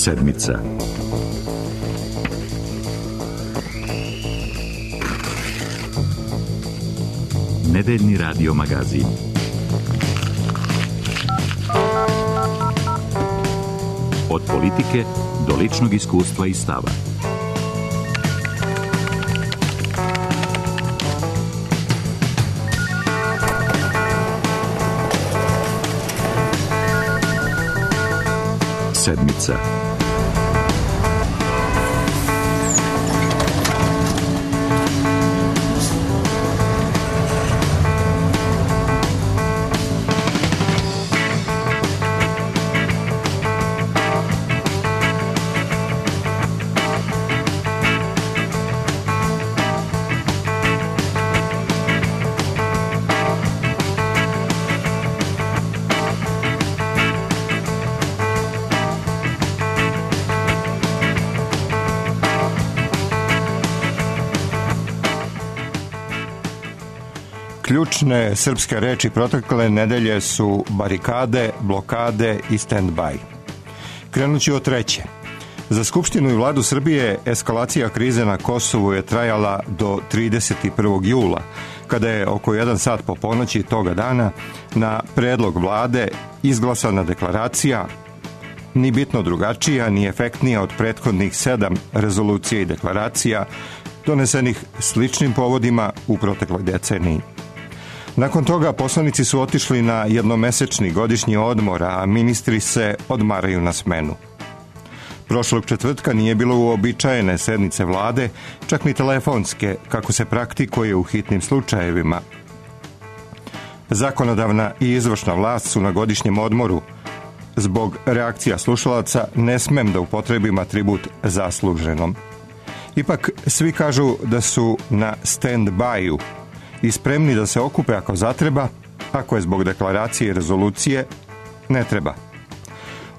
Sedmica. Nedeljni radio magazin. Od politike do ličnog iskustva i stava. Sedmica. Ključne srpske reči protekle nedelje su barikade, blokade i stand-by. Krenući od treće. Za Skupštinu i vladu Srbije eskalacija krize na Kosovu je trajala do 31. jula, kada je oko 1 sat po ponoći toga dana na predlog vlade izglasana deklaracija, ni bitno drugačija, ni efektnija od prethodnih 7 rezolucija i deklaracija donesenih sličnim povodima u protekloj deceniji. Nakon toga poslanici su otišli na jednomesečni godišnji odmor, a ministri se odmaraju na smenu. Prošlog četvrtka nije bilo uobičajene sednice vlade, čak ni telefonske, kako se praktikuje u hitnim slučajevima. Zakonodavna i izvršna vlast su na godišnjem odmoru. Zbog reakcija slušalaca ne smem da upotrebim atribut zasluženom. Ipak svi kažu da su na stand-by-u i spremni da se okupe ako zatreba, ako je zbog deklaracije i rezolucije, ne treba.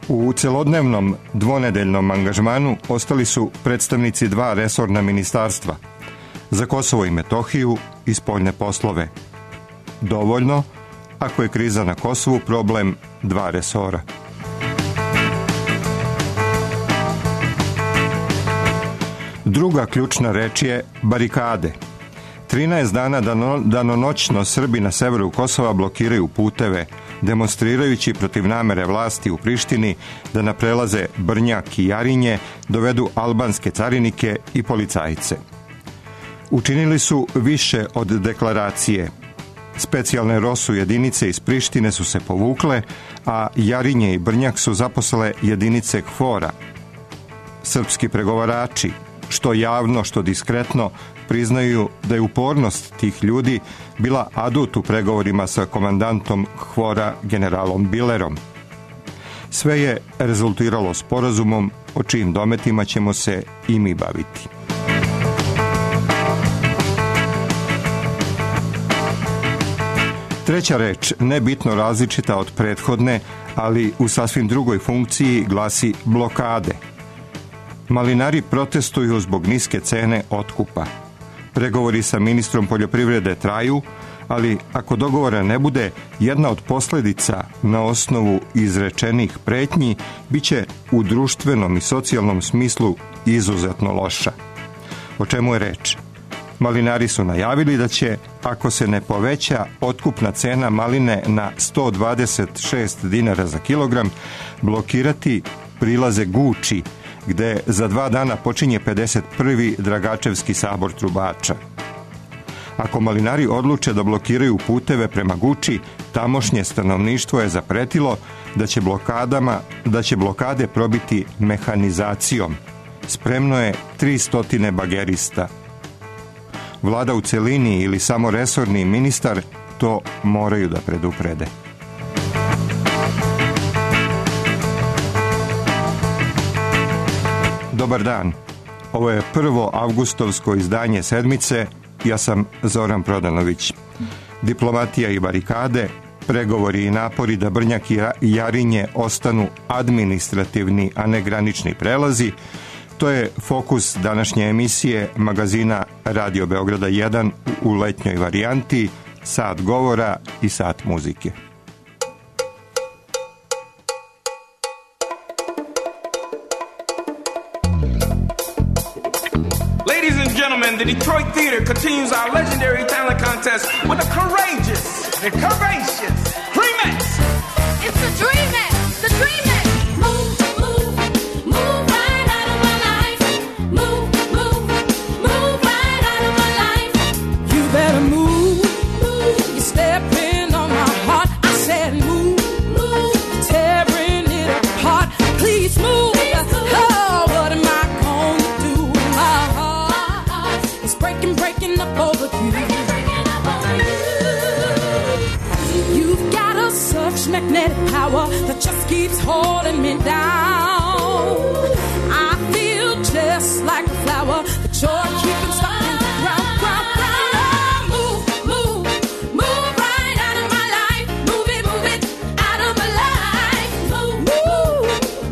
U celodnevnom dvonedeljnom angažmanu ostali su predstavnici 2 resorna ministarstva, za Kosovo i Metohiju i spoljne poslove. Dovoljno ako je kriza na Kosovu problem 2 resora. Druga ključna reč je barikade. 13 dana danonoćno Srbi na severu Kosova blokiraju puteve, demonstrirajući protiv namere vlasti u Prištini da na prelaze Brnjak i Jarinje dovedu albanske carinike i policajce. Učinili su više od deklaracije. Specijalne ROSU jedinice iz Prištine su se povukle, a Jarinje i Brnjak su zaposlile jedinice KFOR-a. Srpski pregovarači, što javno, što diskretno, priznaju da je upornost tih ljudi bila adut u pregovorima sa komandantom KFOR-a generalom Bilerom. Sve je rezultiralo sporazumom o čijim dometima ćemo se i mi baviti. Treća reč, nebitno različita od prethodne, ali u sasvim drugoj funkciji, glasi blokade. Malinari protestuju zbog niske cene otkupa. Pregovori sa ministrom poljoprivrede traju, ali ako dogovora ne bude, jedna od posljedica na osnovu izrečenih pretnji biće u društvenom i socijalnom smislu izuzetno loša. O čemu je reč? Malinari su najavili da će, ako se ne poveća otkupna cena maline na 126 dinara za kilogram, blokirati prilaze Guči, gde za 2 dana počinje 51. Dragačevski sabor trubača. Ako malinari odluče da blokiraju puteve prema Guči, tamošnje stanovništvo je zapretilo da će blokade probiti mehanizacijom. Spremno je 300 bagerista. Vlada u celini ili samo resorni ministar to moraju da preduprede. Dobar dan. Ovo je prvo avgustovsko izdanje Sedmice. Ja sam Zoran Prodanović. Diplomatija i barikade, pregovori i napori da Brnjak i Jarinje ostanu administrativni, a ne granični prelazi, to je fokus današnje emisije magazina Radio Beograda 1 u letnjoj varijanti, sat govora i sat muzike. gentlemen, the Detroit Theater continues our legendary talent contest with a courageous and curvaceous Dreamex. It's the Dreamex, the Dreamex. Move, move, move right out of my life. Move, move, move right out of my life. You better move, move. You're stepping on my heart. I said move, move. Tearing it apart. Please move. Oh, what am I gonna do? My heart is breaking up over you. You've got such magnetic power that just keeps holding me down. I feel just like a flower, but you're keeping stuck in the ground. Oh, move, move, move right out of my life. Move it out of my life. Move, move,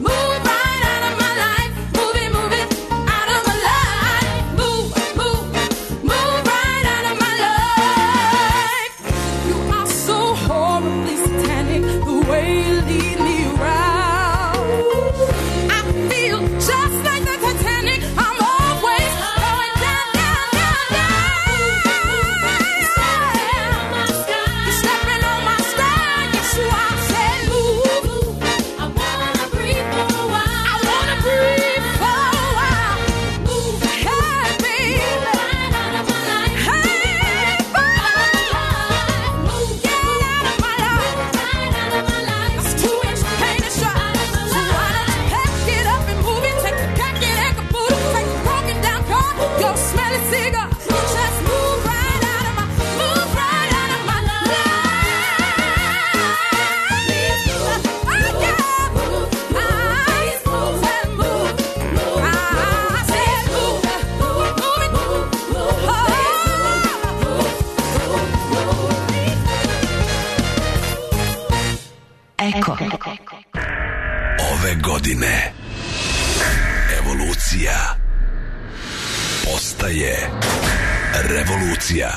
move right out of my life. Move it out of my life. Move, move, move right out of my life. You are so horribly satanic, the way you lead me around. I feel just like the Titanic. I'm always going down, down, down, down. You're stepping on my sky. Yes, you are. Said move. I wanna breathe for a while. I wanna breathe for a while. Move, Hey, baby. right out of my life. Hey, baby. Move, Get out of my life. right out of my life. It's too much pain to show. So why don't you pack it up and move it? Take the packet and caboodle. Take the broken down car. Go smell a cigar. Just move right out of my life. Eko. Ove godine evolucija postaje revolucija.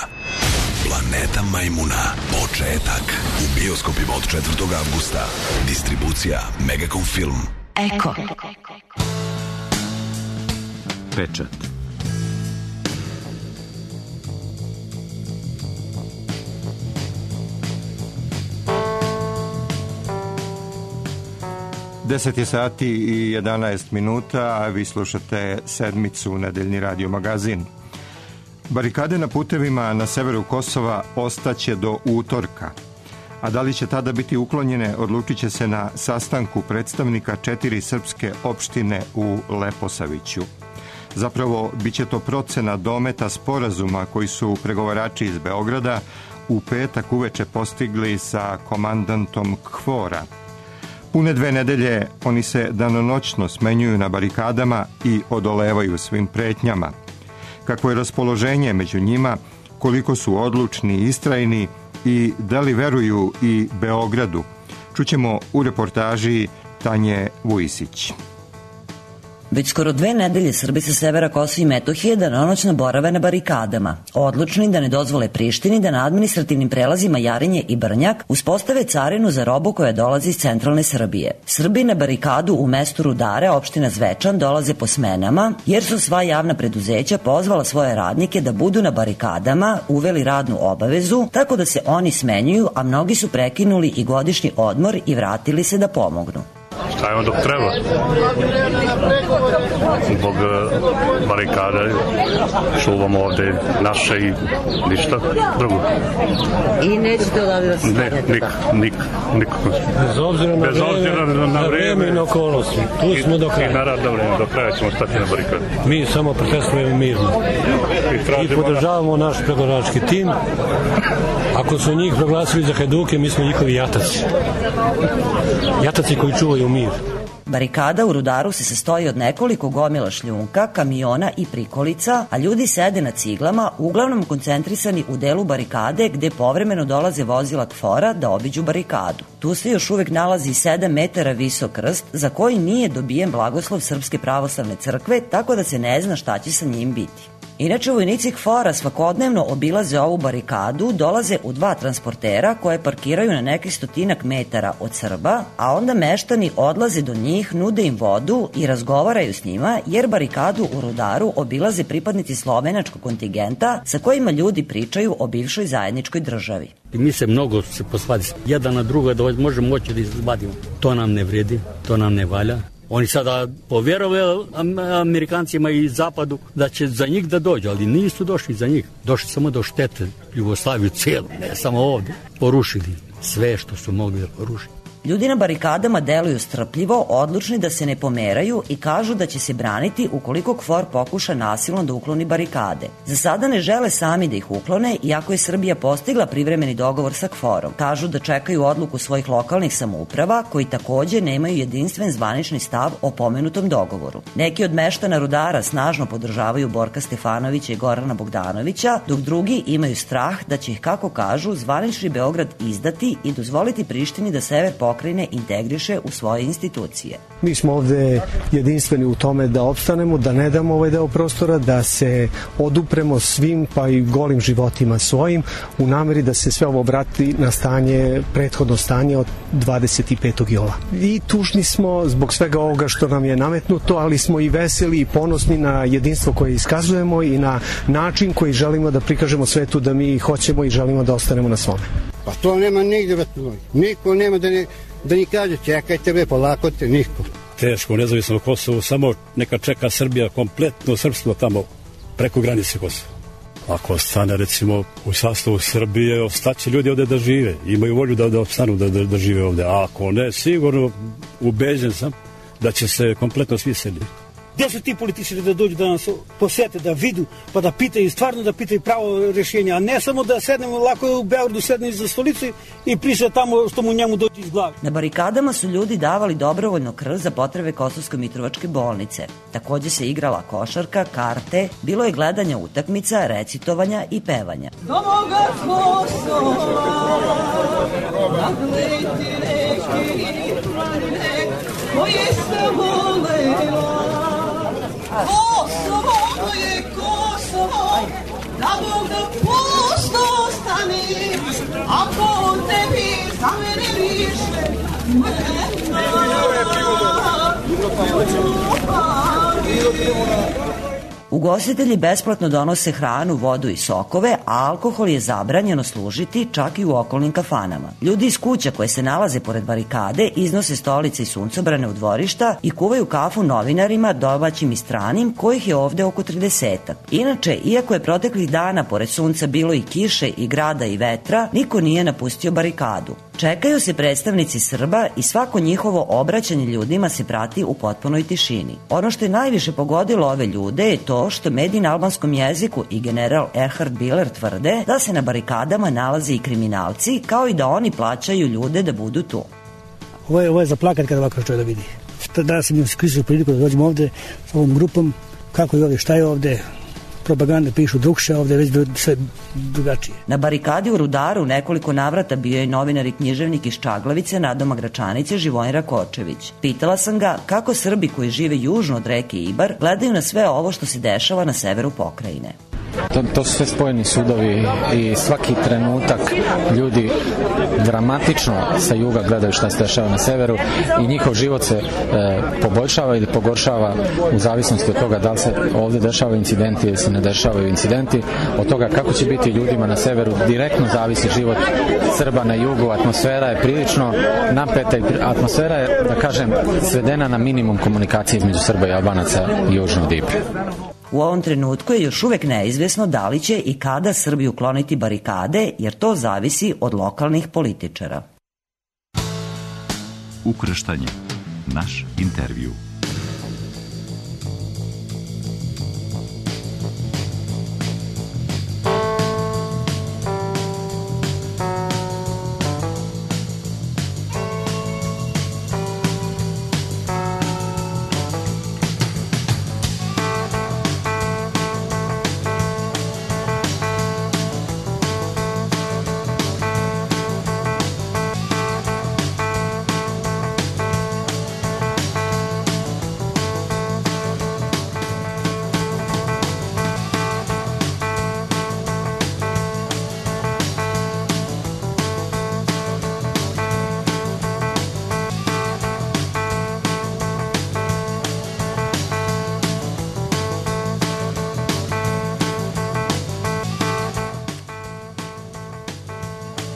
Planeta Majmuna. Početak. U bioskopima od 4. avgusta. Distribucija Megacom Film. Eko. Pečat. Deset je sati i 11 minuta, a vi slušate Sedmicu, nedeljni radio magazin. Barikade na putevima na severu Kosova ostaće do utorka. A da li će tada biti uklonjene, odlučit će se na sastanku predstavnika 4 srpske opštine u Leposaviću. Zapravo, bit će to procena dometa sporazuma koji su pregovarači iz Beograda u petak uveče postigli sa komandantom KFOR-a. Pune 2 nedelje oni se danonoćno smenjuju na barikadama i odolevaju svim pretnjama. Kakvo je raspoloženje među njima, koliko su odlučni i istrajni i da li veruju i Beogradu, čućemo u reportaži Tanje Vujisić. Već skoro 2 nedelje Srbi sa severa Kosova i Metohije danonoćno borave na barikadama, odlučni da ne dozvole Prištini da na administrativnim prelazima Jarinje i Brnjak uspostave carinu za robu koja dolazi iz centralne Srbije. Srbi na barikadu u mestu Rudare, opština Zvečan, dolaze po smenama, jer su sva javna preduzeća pozvala svoje radnike da budu na barikadama, uveli radnu obavezu, tako da se oni smenjuju, a mnogi su prekinuli i godišnji odmor i vratili se da pomognu. Stajemo dok treba. Zbog barikade čuvamo ovde naše i ništa drugo. I nećete odavde da se stavljate? Nikako. Bez obzira na vreme i na okolnosti. Tu smo do kraja. I na radno vreme, do kraja ćemo stati na barikade. Mi samo protestujemo mirno. I podržavamo naš pregovarački tim. Ako su njih proglasili za hajduke, mi smo njihovi jataci. Jataci koji čuvaju mir. Barikada u Rudaru se sastoji od nekoliko gomila šljunka, kamiona i prikolica, a ljudi sede na ciglama, uglavnom koncentrisani u delu barikade gde povremeno dolaze vozila KFOR-a da obiđu barikadu. Tu se još uvek nalazi 7 metara visok krst za koji nije dobijen blagoslov Srpske pravoslavne crkve, tako da se ne zna šta će sa njim biti. Inače, vojnici KFOR-a svakodnevno obilaze ovu barikadu, dolaze u 2 transportera koje parkiraju na nekih 100 metara od Srba, a onda meštani odlaze do njih, nude im vodu i razgovaraju s njima, jer barikadu u Rudaru obilaze pripadnici slovenačkog kontingenta sa kojima ljudi pričaju o bivšoj zajedničkoj državi. Mi se mnogo posvadi jedan na drugo da možemo moći da izvadimo. To nam ne vredi, to nam ne valja. Oni sada povjerovaju Amerikancima i Zapadu da će za njih da dođu, ali nisu došli za njih. Došli samo do štete Jugoslaviju cijelu, ne samo ovde. Porušili sve što su mogli da porušiti. Ljudi na barikadama deluju strpljivo, odlučni da se ne pomeraju i kažu da će se braniti ukoliko KFOR pokuša nasilno da ukloni barikade. Za sada ne žele sami da ih uklone, iako je Srbija postigla privremeni dogovor sa KFOR-om. Kažu da čekaju odluku svojih lokalnih samouprava, koji takođe nemaju jedinstven zvanični stav o pomenutom dogovoru. Neki od meštana Rudara snažno podržavaju Borka Stefanovića i Gorana Bogdanovića, dok drugi imaju strah da će ih, kako kažu, zvanični Beograd izdati i dozvoliti Prištini da sever pokrajine integriše u svoje institucije. Mi smo ovde jedinstveni u tome da opstanemo, da ne damo ovaj deo prostora, da se odupremo svim pa i golim životima svojim u nameri da se sve ovo vrati na stanje, prethodno stanje od 25. jula. I tužni smo zbog svega ovoga što nam je nametnuto, ali smo i veseli i ponosni na jedinstvo koje iskazujemo i na način koji želimo da prikažemo svetu da mi hoćemo i želimo da ostanemo na svome. Pa to nema nigde, niko nema da ni kaže čekajte bre, polako te, niko. Teško, nezavisno Kosovo, samo neka čeka Srbija kompletno srpstvo tamo preko granice Kosova. Ako ostane recimo u sastavu Srbije, ostaće ljudi ovde da žive, imaju volju da ostanu da žive ovde, a ako ne, sigurno ubeđen sam da će se kompletno svi seliti. Gde su ti političari da dođu da nas posete, da vidu, pa da pitaju, stvarno da pitaju pravo rješenje, a ne samo da sednemo, lako je u Beogradu sedne iza stolice i priča tamo što mu njemu dođe iz glave. Na barikadama su ljudi davali dobrovoljno krv za potrebe Kosovsko-Mitrovačke bolnice. Takođe se igrala košarka, karte, bilo je gledanja utakmica, recitovanja i pevanja. Do moga Kosova, nagleti reki, koje se volela. Kosovo, moje Kosovo, da Bog da pusto ostane, ako on tebi za mene više Ugostitelji besplatno donose hranu, vodu i sokove, a alkohol je zabranjeno služiti čak i u okolnim kafanama. Ljudi iz kuća koje se nalaze pored barikade iznose stolice i suncobrane u dvorišta i kuvaju kafu novinarima, domaćim i stranim, kojih je ovde oko 30-ak. Inače, iako je proteklih dana pored sunca bilo i kiše i grada i vetra, niko nije napustio barikadu. Čekaju se predstavnici Srba i svako njihovo obraćanje ljudima se prati u potpunoj tišini. Ono što je najviše pogodilo ove ljude je to što mediji na albanskom jeziku i general Erhard Biller tvrde da se na barikadama nalaze i kriminalci, kao i da oni plaćaju ljude da budu tu. Ovo je za plakat kada ovako čovjek da vidi. Danas sam im iskoristio priliku da dođem ovde s ovom grupom, kako je ovde, šta je ovde, propagande pišu drugše, ovde već sve drugačije. Na barikadi u Rudaru u nekoliko navrata bio je novinar i književnik iz Čaglavice, Nadoma Gračanice, Živojin Rakočević. Pitala sam ga kako Srbi koji žive južno od reke Ibar gledaju na sve ovo što se dešava na severu pokrajine. To su sve spojeni sudovi i svaki trenutak ljudi dramatično sa juga gledaju šta se dešava na severu i njihov život se poboljšava ili pogoršava u zavisnosti od toga da li se ovde dešavaju incidenti ili se ne dešavaju incidenti. Od toga kako će biti ljudima na severu direktno zavisi život Srba na jugu. Atmosfera je prilično napeta i atmosfera je, da kažem, svedena na minimum komunikacije između Srba i Albanaca južno od Ibra. U ovom trenutku je još uvek neizvesno da li će i kada Srbi ukloniti barikade, jer to zavisi od lokalnih političara. Ukrštanje. Naš intervju.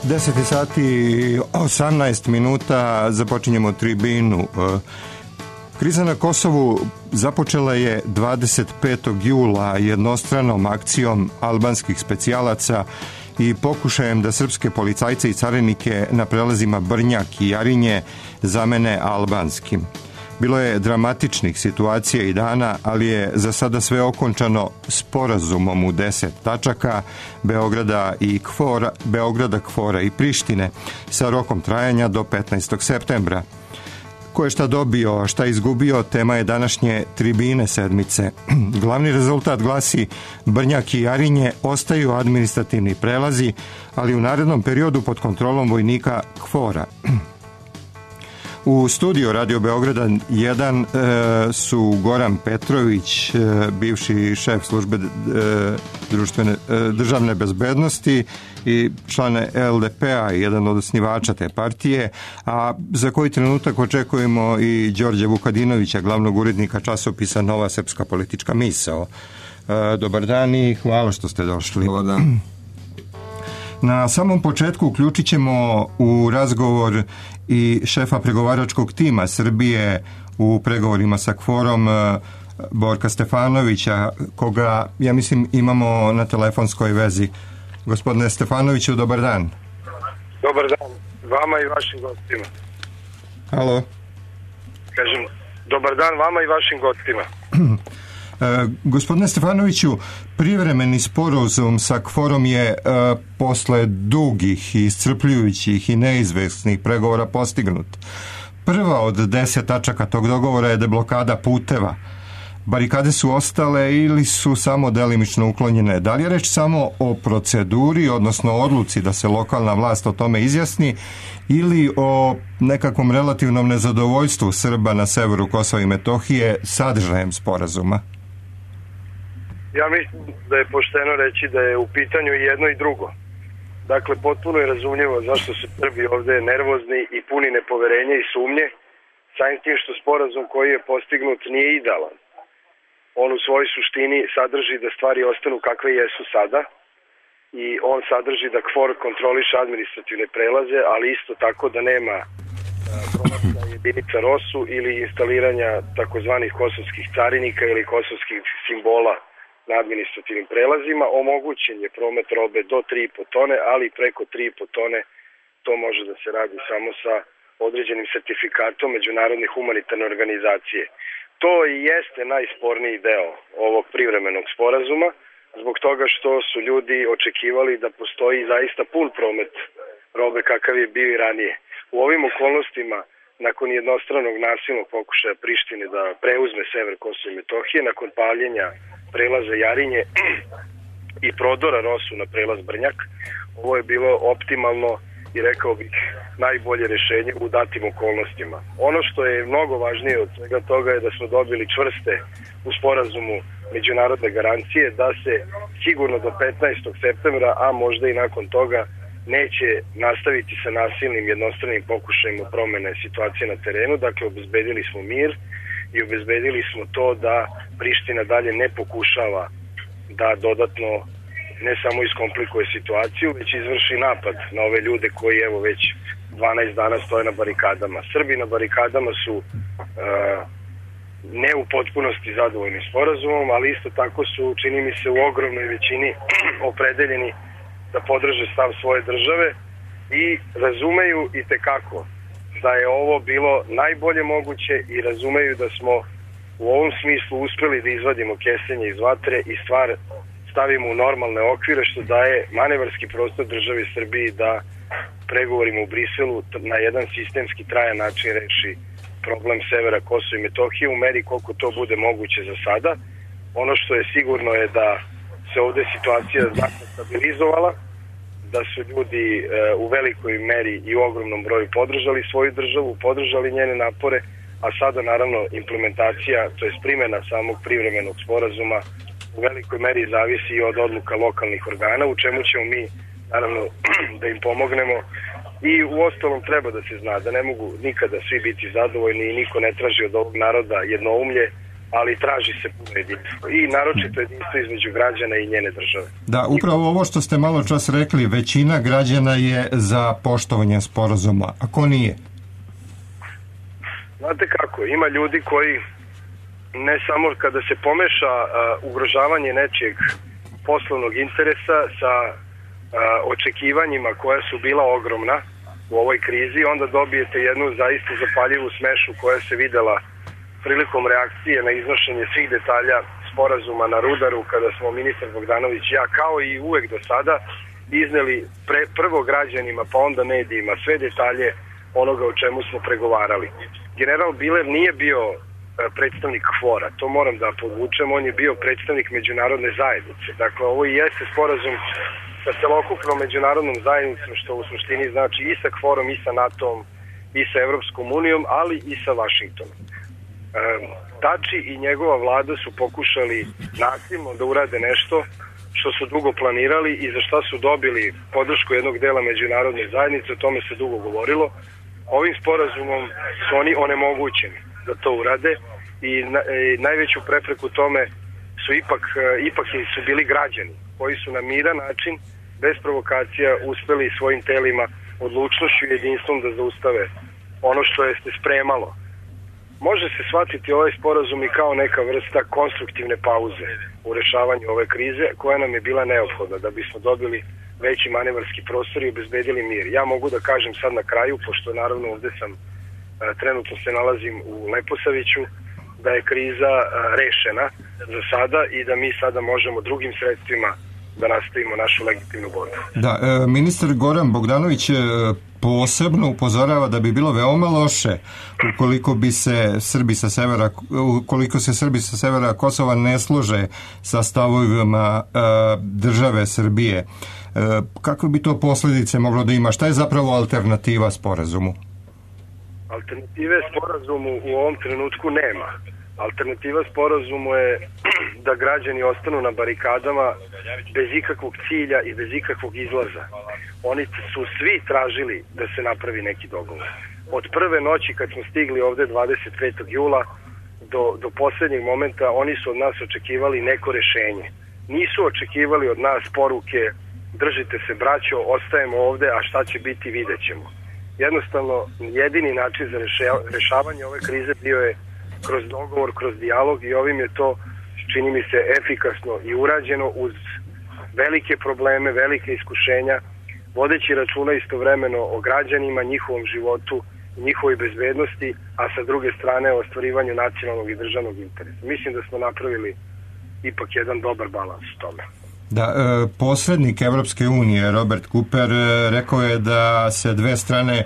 10 sati 18 minuta započinjemo tribinu. Kriza na Kosovu započela je 25. jula jednostranom akcijom albanskih specijalaca i pokušajem da srpske policajce i carinike na prelazima Brnjak i Jarinje zamene albanskim. Bilo je dramatičnih situacija i dana, ali je za sada sve okončano sporazumom u 10 tačaka Beograda, Kvora i Prištine sa rokom trajanja do 15. septembra. Ko je šta dobio, šta izgubio, tema je današnje tribine sedmice. Glavni rezultat glasi Brnjak i Jarinje ostaju administrativni prelazi, ali u narednom periodu pod kontrolom vojnika Kvora. U studiju Radio Beograda 1 su Goran Petrović, bivši šef službe državne bezbednosti i član LDP-a, jedan od osnivača te partije, a za koji trenutak očekujemo i Đorđe Vukadinovića, glavnog urednika časopisa Nova srpska politička misao. Dobar dan i hvala što ste došli. Dobar dan. Na samom početku uključit ćemo u razgovor i šefa pregovaračkog tima Srbije u pregovorima sa Kvorom, Borka Stefanovića, koga, ja mislim, imamo na telefonskoj vezi. Gospodine Stefanoviću, dobar dan. Dobar dan vama i vašim gostima. Halo. Kažem, dobar dan vama i vašim gostima. Gospodine Stefanoviću, privremeni sporazum sa Kvorom je posle dugih i iscrpljujućih i neizvesnih pregovora postignut. Prva od 10 tačaka tog dogovora je deblokada puteva. Barikade su ostale ili su samo delimično uklonjene. Da li je reč samo o proceduri, odnosno odluci da se lokalna vlast o tome izjasni, ili o nekakvom relativnom nezadovoljstvu Srba na severu Kosova i Metohije sadržajem sporazuma? Ja mislim da je pošteno reći da je u pitanju i jedno i drugo. Dakle, potpuno je razumljivo zašto su Srbi ovde nervozni i puni nepoverenja i sumnje, samim tim što sporazum koji je postignut nije idealan. On u svojoj suštini sadrži da stvari ostanu kakve jesu sada i on sadrži da KFOR kontroliše administrativne prelaze, ali isto tako da nema prolaska jedinica ROSU ili instaliranja takozvanih kosovskih carinika ili kosovskih simbola na administrativnim prelazima. Omogućen je promet robe do 3,5 tone, ali preko 3,5 tone to može da se radi samo sa određenim sertifikatom Međunarodne humanitarne organizacije. To i jeste najsporniji deo ovog privremenog sporazuma, zbog toga što su ljudi očekivali da postoji zaista pun promet robe kakav je bio i ranije. U ovim okolnostima, nakon jednostranog nasilnog pokušaja Prištine da preuzme sever Kosova i Metohije, nakon paljenja prelaza Jarinje i prodora ROSU na prelaz Brnjak, ovo je bilo optimalno i rekao bih najbolje rešenje u datim okolnostima. Ono što je mnogo važnije od svega toga je da smo dobili čvrste u sporazumu međunarodne garancije da se sigurno do 15. septembra, a možda i nakon toga, neće nastaviti sa nasilnim jednostranim pokušajima promene situacije na terenu. Dakle, obezbedili smo mir i obezbedili smo to da Priština dalje ne pokušava da dodatno ne samo iskomplikuje situaciju, već izvrši napad na ove ljude koji evo već 12 dana stoje na barikadama. Srbi na barikadama su ne u potpunosti zadovoljni sporazumom, ali isto tako su, čini mi se, u ogromnoj većini opredeljeni da podrže stav svoje države i razumeju i tekako da je ovo bilo najbolje moguće i razumeju da smo u ovom smislu uspeli da izvadimo kestenje iz vatre i stvar stavimo u normalne okvire, što daje manevarski prostor državi Srbiji da pregovorima u Briselu na jedan sistemski trajan način reši problem severa Kosova i Metohije u meri koliko to bude moguće za sada. Ono što je sigurno je da se ovde situacija znatno stabilizovala, da su ljudi u velikoj meri i u ogromnom broju podržali svoju državu, podržali njene napore, a sada naravno implementacija, to je primjena samog privremenog sporazuma u velikoj meri zavisi i od odluka lokalnih organa, u čemu ćemo mi naravno da im pomognemo. I u ostalom treba da se zna da ne mogu nikada svi biti zadovoljni i niko ne traži od ovog naroda jednoumlje, ali traži se puno jedinstvo i naročito jedinstvo između građana i njene države. Da, upravo ovo što ste malo čas rekli, većina građana je za poštovanje sporazuma. A ko nije? Znate kako, ima ljudi koji ne samo kada se pomeša ugrožavanje nečijeg poslovnog interesa sa očekivanjima koja su bila ogromna u ovoj krizi, onda dobijete jednu zaista zapaljivu smešu koja se videla prilikom reakcije na iznošenje svih detalja sporazuma na Rudaru, kada smo ministar Bogdanović i ja, kao i uvek do sada, izneli prvo građanima pa onda medijima sve detalje onoga o čemu smo pregovarali. General Biler nije bio predstavnik KFOR-a, to moram da podvučem, on je bio predstavnik međunarodne zajednice. Dakle, ovo i jeste sporazum sa celokupnom međunarodnom zajednicom, što u suštini znači i sa KFOR-om, i sa NATO-om, i sa Evropskom unijom, ali i sa Vašingtonom. Tači i njegova vlada su pokušali nasilno da urade nešto što su dugo planirali i za šta su dobili podršku jednog dela međunarodne zajednice, o tome se dugo govorilo. Ovim sporazumom su oni onemogućeni da to urade i najveću prepreku tome su ipak su bili građani koji su na miran način, bez provokacija, uspeli svojim telima, odlučnošću i jedinstvom da zaustave ono što je se spremalo. Može se shvatiti ovaj sporazum i kao neka vrsta konstruktivne pauze u rešavanju ove krize koja nam je bila neophodna da bismo dobili veći manevarski prostor i obezbedili mir. Ja mogu da kažem sad na kraju, pošto naravno ovde sam, trenutno se nalazim u Leposaviću, da je kriza rešena za sada i da mi sada možemo drugim sredstvima da nastavimo našu legitimnu borbu. Da, ministar Goran Bogdanović posebno upozorava da bi bilo veoma loše ukoliko se Srbi sa severa Kosova ne slože sa stavovima države Srbije. Kakve bi to posljedice moglo da ima? Šta je zapravo alternativa sporazumu? Alternative sporazumu u ovom trenutku nema. Alternativa sporazumu je da građani ostanu na barikadama bez ikakvog cilja i bez ikakvog izlaza. Oni su svi tražili da se napravi neki dogovor. Od prve noći kad smo stigli ovde 25. jula do poslednjeg momenta oni su od nas očekivali neko rešenje. Nisu očekivali od nas poruke držite se braćo, ostajemo ovde, a šta će biti vidjet ćemo. Jednostavno, jedini način za rešavanje ove krize bio je kroz dogovor, kroz dijalog i ovim je to, čini mi se, efikasno i urađeno uz velike probleme, velike iskušenja, vodeći računa istovremeno o građanima, njihovom životu, njihovoj bezbednosti, a sa druge strane o ostvarivanju nacionalnog i državnog interesa. Mislim da smo napravili ipak jedan dobar balans u tome. Da, posrednik Evropske unije Robert Cooper rekao je da se dve strane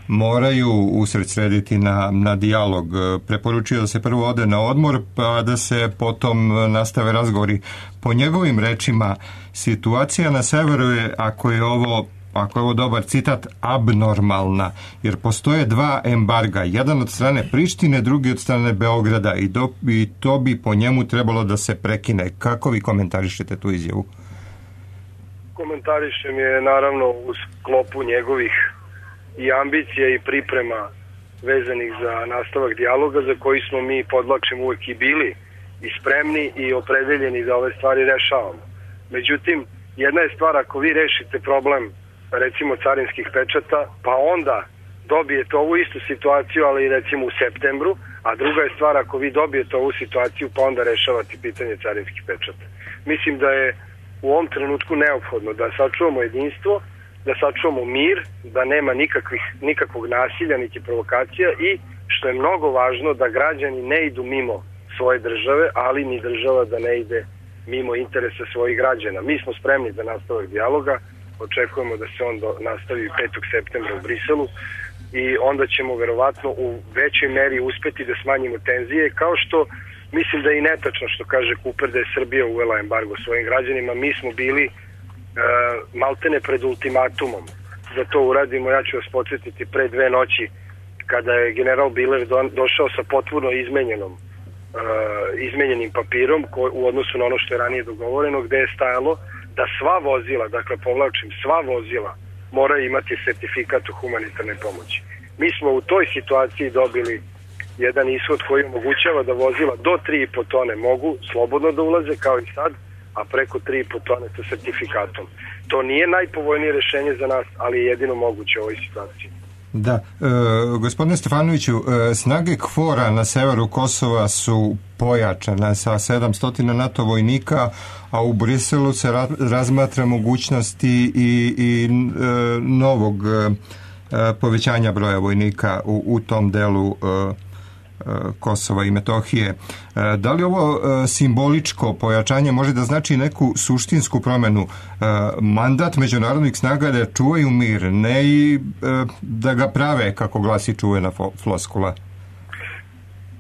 moraju usredsrediti na dijalog. Preporučio da se prvo ode na odmor, pa da se potom nastave razgovori. Po njegovim rečima, situacija na severu je, ako je ovo dobar citat, abnormalna, jer postoje dva embarga, jedan od strane Prištine, drugi od strane Beograda i to bi po njemu trebalo da se prekine. Kako vi komentarišete tu izjavu? Komentarišem je naravno u sklopu njegovih i ambicija i priprema vezanih za nastavak dijaloga za koji smo mi, podvlačim, uvek i bili i spremni i opredeljeni da ove stvari rešavamo. Međutim, jedna je stvar ako vi rešite problem recimo carinskih pečata, pa onda dobijete ovu istu situaciju, ali recimo u septembru, a druga je stvar ako vi dobijete ovu situaciju, pa onda rešavate pitanje carinskih pečata. Mislim da je u ovom trenutku neophodno da sačuvamo jedinstvo, da sačuvamo mir, da nema nikakvog nasilja, niti provokacija i, što je mnogo važno, da građani ne idu mimo svoje države, ali ni država da ne ide mimo interesa svojih građana. Mi smo spremni za nastavak dijaloga, očekujemo da se on nastavi 5. septembra u Briselu i onda ćemo verovatno u većoj meri uspeti da smanjimo tenzije, kao što mislim da je i netačno što kaže Cooper da je Srbija uvela embargo svojim građanima. Mi smo bili maltene pred ultimatumom da to uradimo. Ja ću vas podsjetiti pre 2 noći kada je general Biler došao sa potpuno izmenjenim papirom u odnosu na ono što je ranije dogovoreno, gde je stajalo da sva vozila, dakle povlačim, sva vozila moraju imati sertifikat o humanitarnoj pomoći. Mi smo u toj situaciji dobili jedan ishod koji omogućava da vozila do 3,5 tone mogu slobodno da ulaze kao i sad, a preko 3,5 tone sa sertifikatom. To nije najpovoljnije rešenje za nas, ali je jedino moguće u ovoj situaciji. Da, gospodine Stefanoviću, snage KFOR-a na severu Kosova su pojačane sa 700 NATO vojnika, a u Briselu se razmatra mogućnosti i novog povećanja broja vojnika u tom delu Kosova i Metohije. Da li ovo simboličko pojačanje može da znači neku suštinsku promenu? Mandat međunarodnih snaga da čuvaju mir, ne i da ga prave, kako glasi čuvena floskula?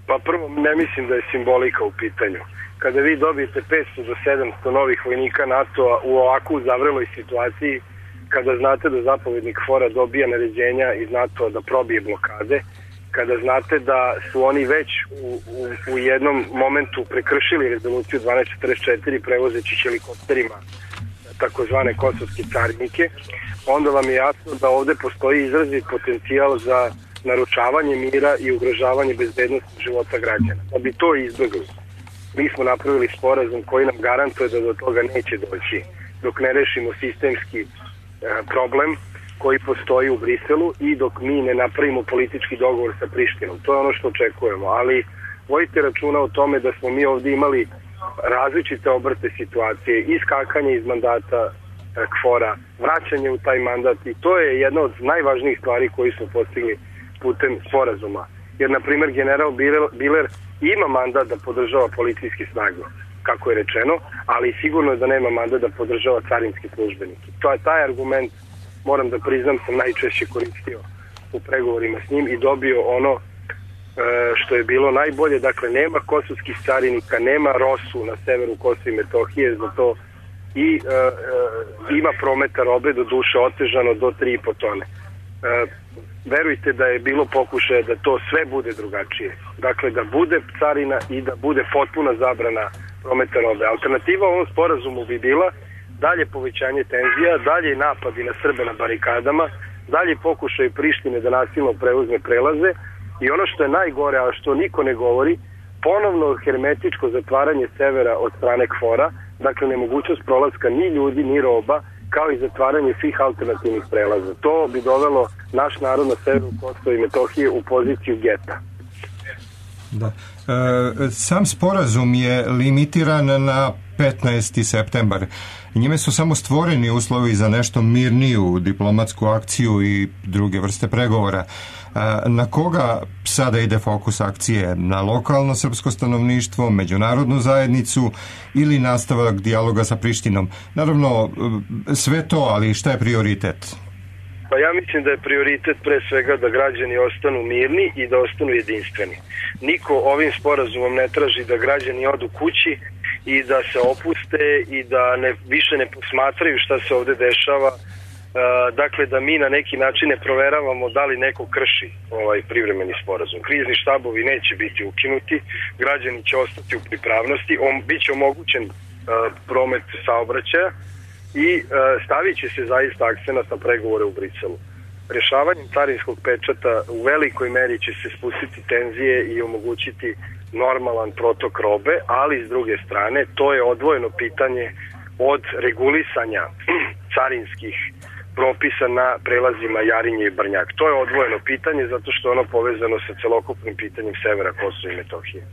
Pa prvo, ne mislim da je simbolika u pitanju. Kada vi dobijete 500 do 700 novih vojnika NATO-a u ovakvu zavreloj situaciji, kada znate da zapovednik KFOR-a dobija naređenja iz NATO-a da probije blokade, kada znate da su oni već u jednom momentu prekršili rezoluciju 1244 prevozeći helikopterima takozvane kosovske carinike, onda vam je jasno da ovde postoji izrazit potencijal za naručavanje mira i ugrožavanje bezbednosti života građana. Da bi to izbjegli, mi smo napravili sporazum koji nam garantuje da do toga neće doći dok ne rešimo sistemski problem koji postoji u Briselu i dok mi ne napravimo politički dogovor sa Prištinom. To je ono što očekujemo, ali vodite računa o tome da smo mi ovdje imali različite obrte situacije, iskakanje iz mandata KFOR-a, vraćanje u taj mandat, i to je jedna od najvažnijih stvari koji smo postigli putem sporazuma. Jer, na primjer, general Biler ima mandat da podržava policijske snage, kako je rečeno, ali sigurno je da nema mandat da podržava carinske službenike. To je taj argument, moram da priznam, sam najčešće koristio u pregovorima s njim i dobio ono što je bilo najbolje. Dakle, nema kosovskih carinika, nema ROSU na severu Kosova i Metohije, zato i ima prometa robe, do duše otežano do 3,5 tone. Verujte da je bilo pokušaja da to sve bude drugačije. Dakle, da bude carina i da bude potpuna zabrana prometa robe. Alternativa ovom sporazumu bi bila dalje povećanje tenzija, dalje napadi na Srbe na barikadama, dalje pokušaj Prištine da nasilno preuzme prelaze i ono što je najgore, a što niko ne govori, ponovno hermetičko zatvaranje severa od strane KFOR-a, dakle nemogućnost prolaska ni ljudi, ni roba, kao i zatvaranje svih alternativnih prelaza. To bi dovelo naš narod na severu Kosova i Metohije u poziciju geta. Da. Sam sporazum je limitiran na 15. septembar. Njime su samo stvoreni uslovi za nešto mirniju diplomatsku akciju i druge vrste pregovora. Na koga sada ide fokus akcije? Na lokalno srpsko stanovništvo, međunarodnu zajednicu ili nastavak dijaloga sa Prištinom? Naravno, sve to, ali šta je prioritet? Pa ja mislim da je prioritet pre svega da građani ostanu mirni i da ostanu jedinstveni. Niko ovim sporazumom ne traži da građani odu kući i da se opuste i da više ne posmatraju šta se ovde dešava. Dakle, da mi na neki način ne proveravamo da li neko krši ovaj privremeni sporazum. Krizni štabovi neće biti ukinuti, građani će ostati u pripravnosti, biće omogućen promet saobraćaja i stavit će se zaista akcenat na pregovore u Briselu. Rešavanjem carinskog pečata u velikoj meri će se spustiti tenzije i omogućiti normalan protok robe, ali s druge strane to je odvojeno pitanje od regulisanja carinskih propisa na prelazima Jarinje i Brnjak. To je odvojeno pitanje zato što je ono povezano sa celokupnim pitanjem severa Kosova i Metohije.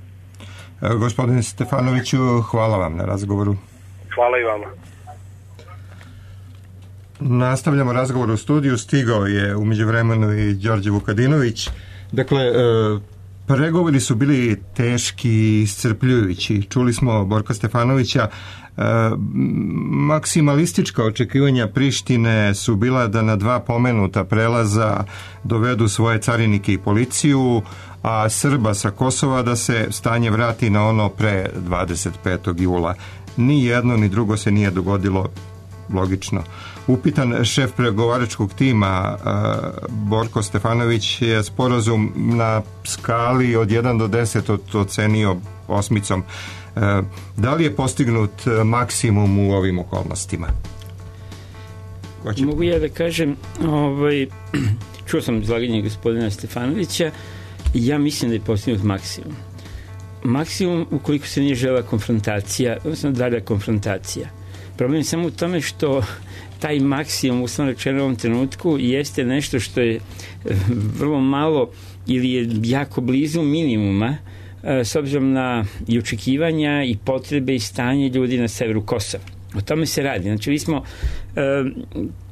Gospodine Stefanoviću, hvala vam na razgovoru. Hvala i vama. Nastavljamo razgovor u studiju. Stigao je u međuvremenu i Đorđe Vukadinović. Dakle, pregovori su bili teški i iscrpljujući. Čuli smo Borka Stefanovića. Maksimalistička očekivanja Prištine su bila da na 2 pomenuta prelaza dovedu svoje carinike i policiju, a Srba sa Kosova da se stanje vrati na ono pre 25. jula. Ni jedno ni drugo se nije dogodilo, logično. Upitan šef pregovaračkog tima Borko Stefanović je sporazum na skali od 1 do 10 ocenio 8. Da li je postignut maksimum u ovim okolnostima? Mogu ja da kažem, čuo sam izlaganje gospodina Stefanovića Ja mislim da je postignut maksimum. Maksimum ukoliko se nije žela konfrontacija, odnosno dalja konfrontacija. Problem je samo u tome što taj maksimum, uslovno rečeno u ovom trenutku, jeste nešto što je vrlo malo ili je jako blizu minimuma s obzirom na i očekivanja i potrebe i stanje ljudi na severu Kosova. O tome se radi. Znači, mi smo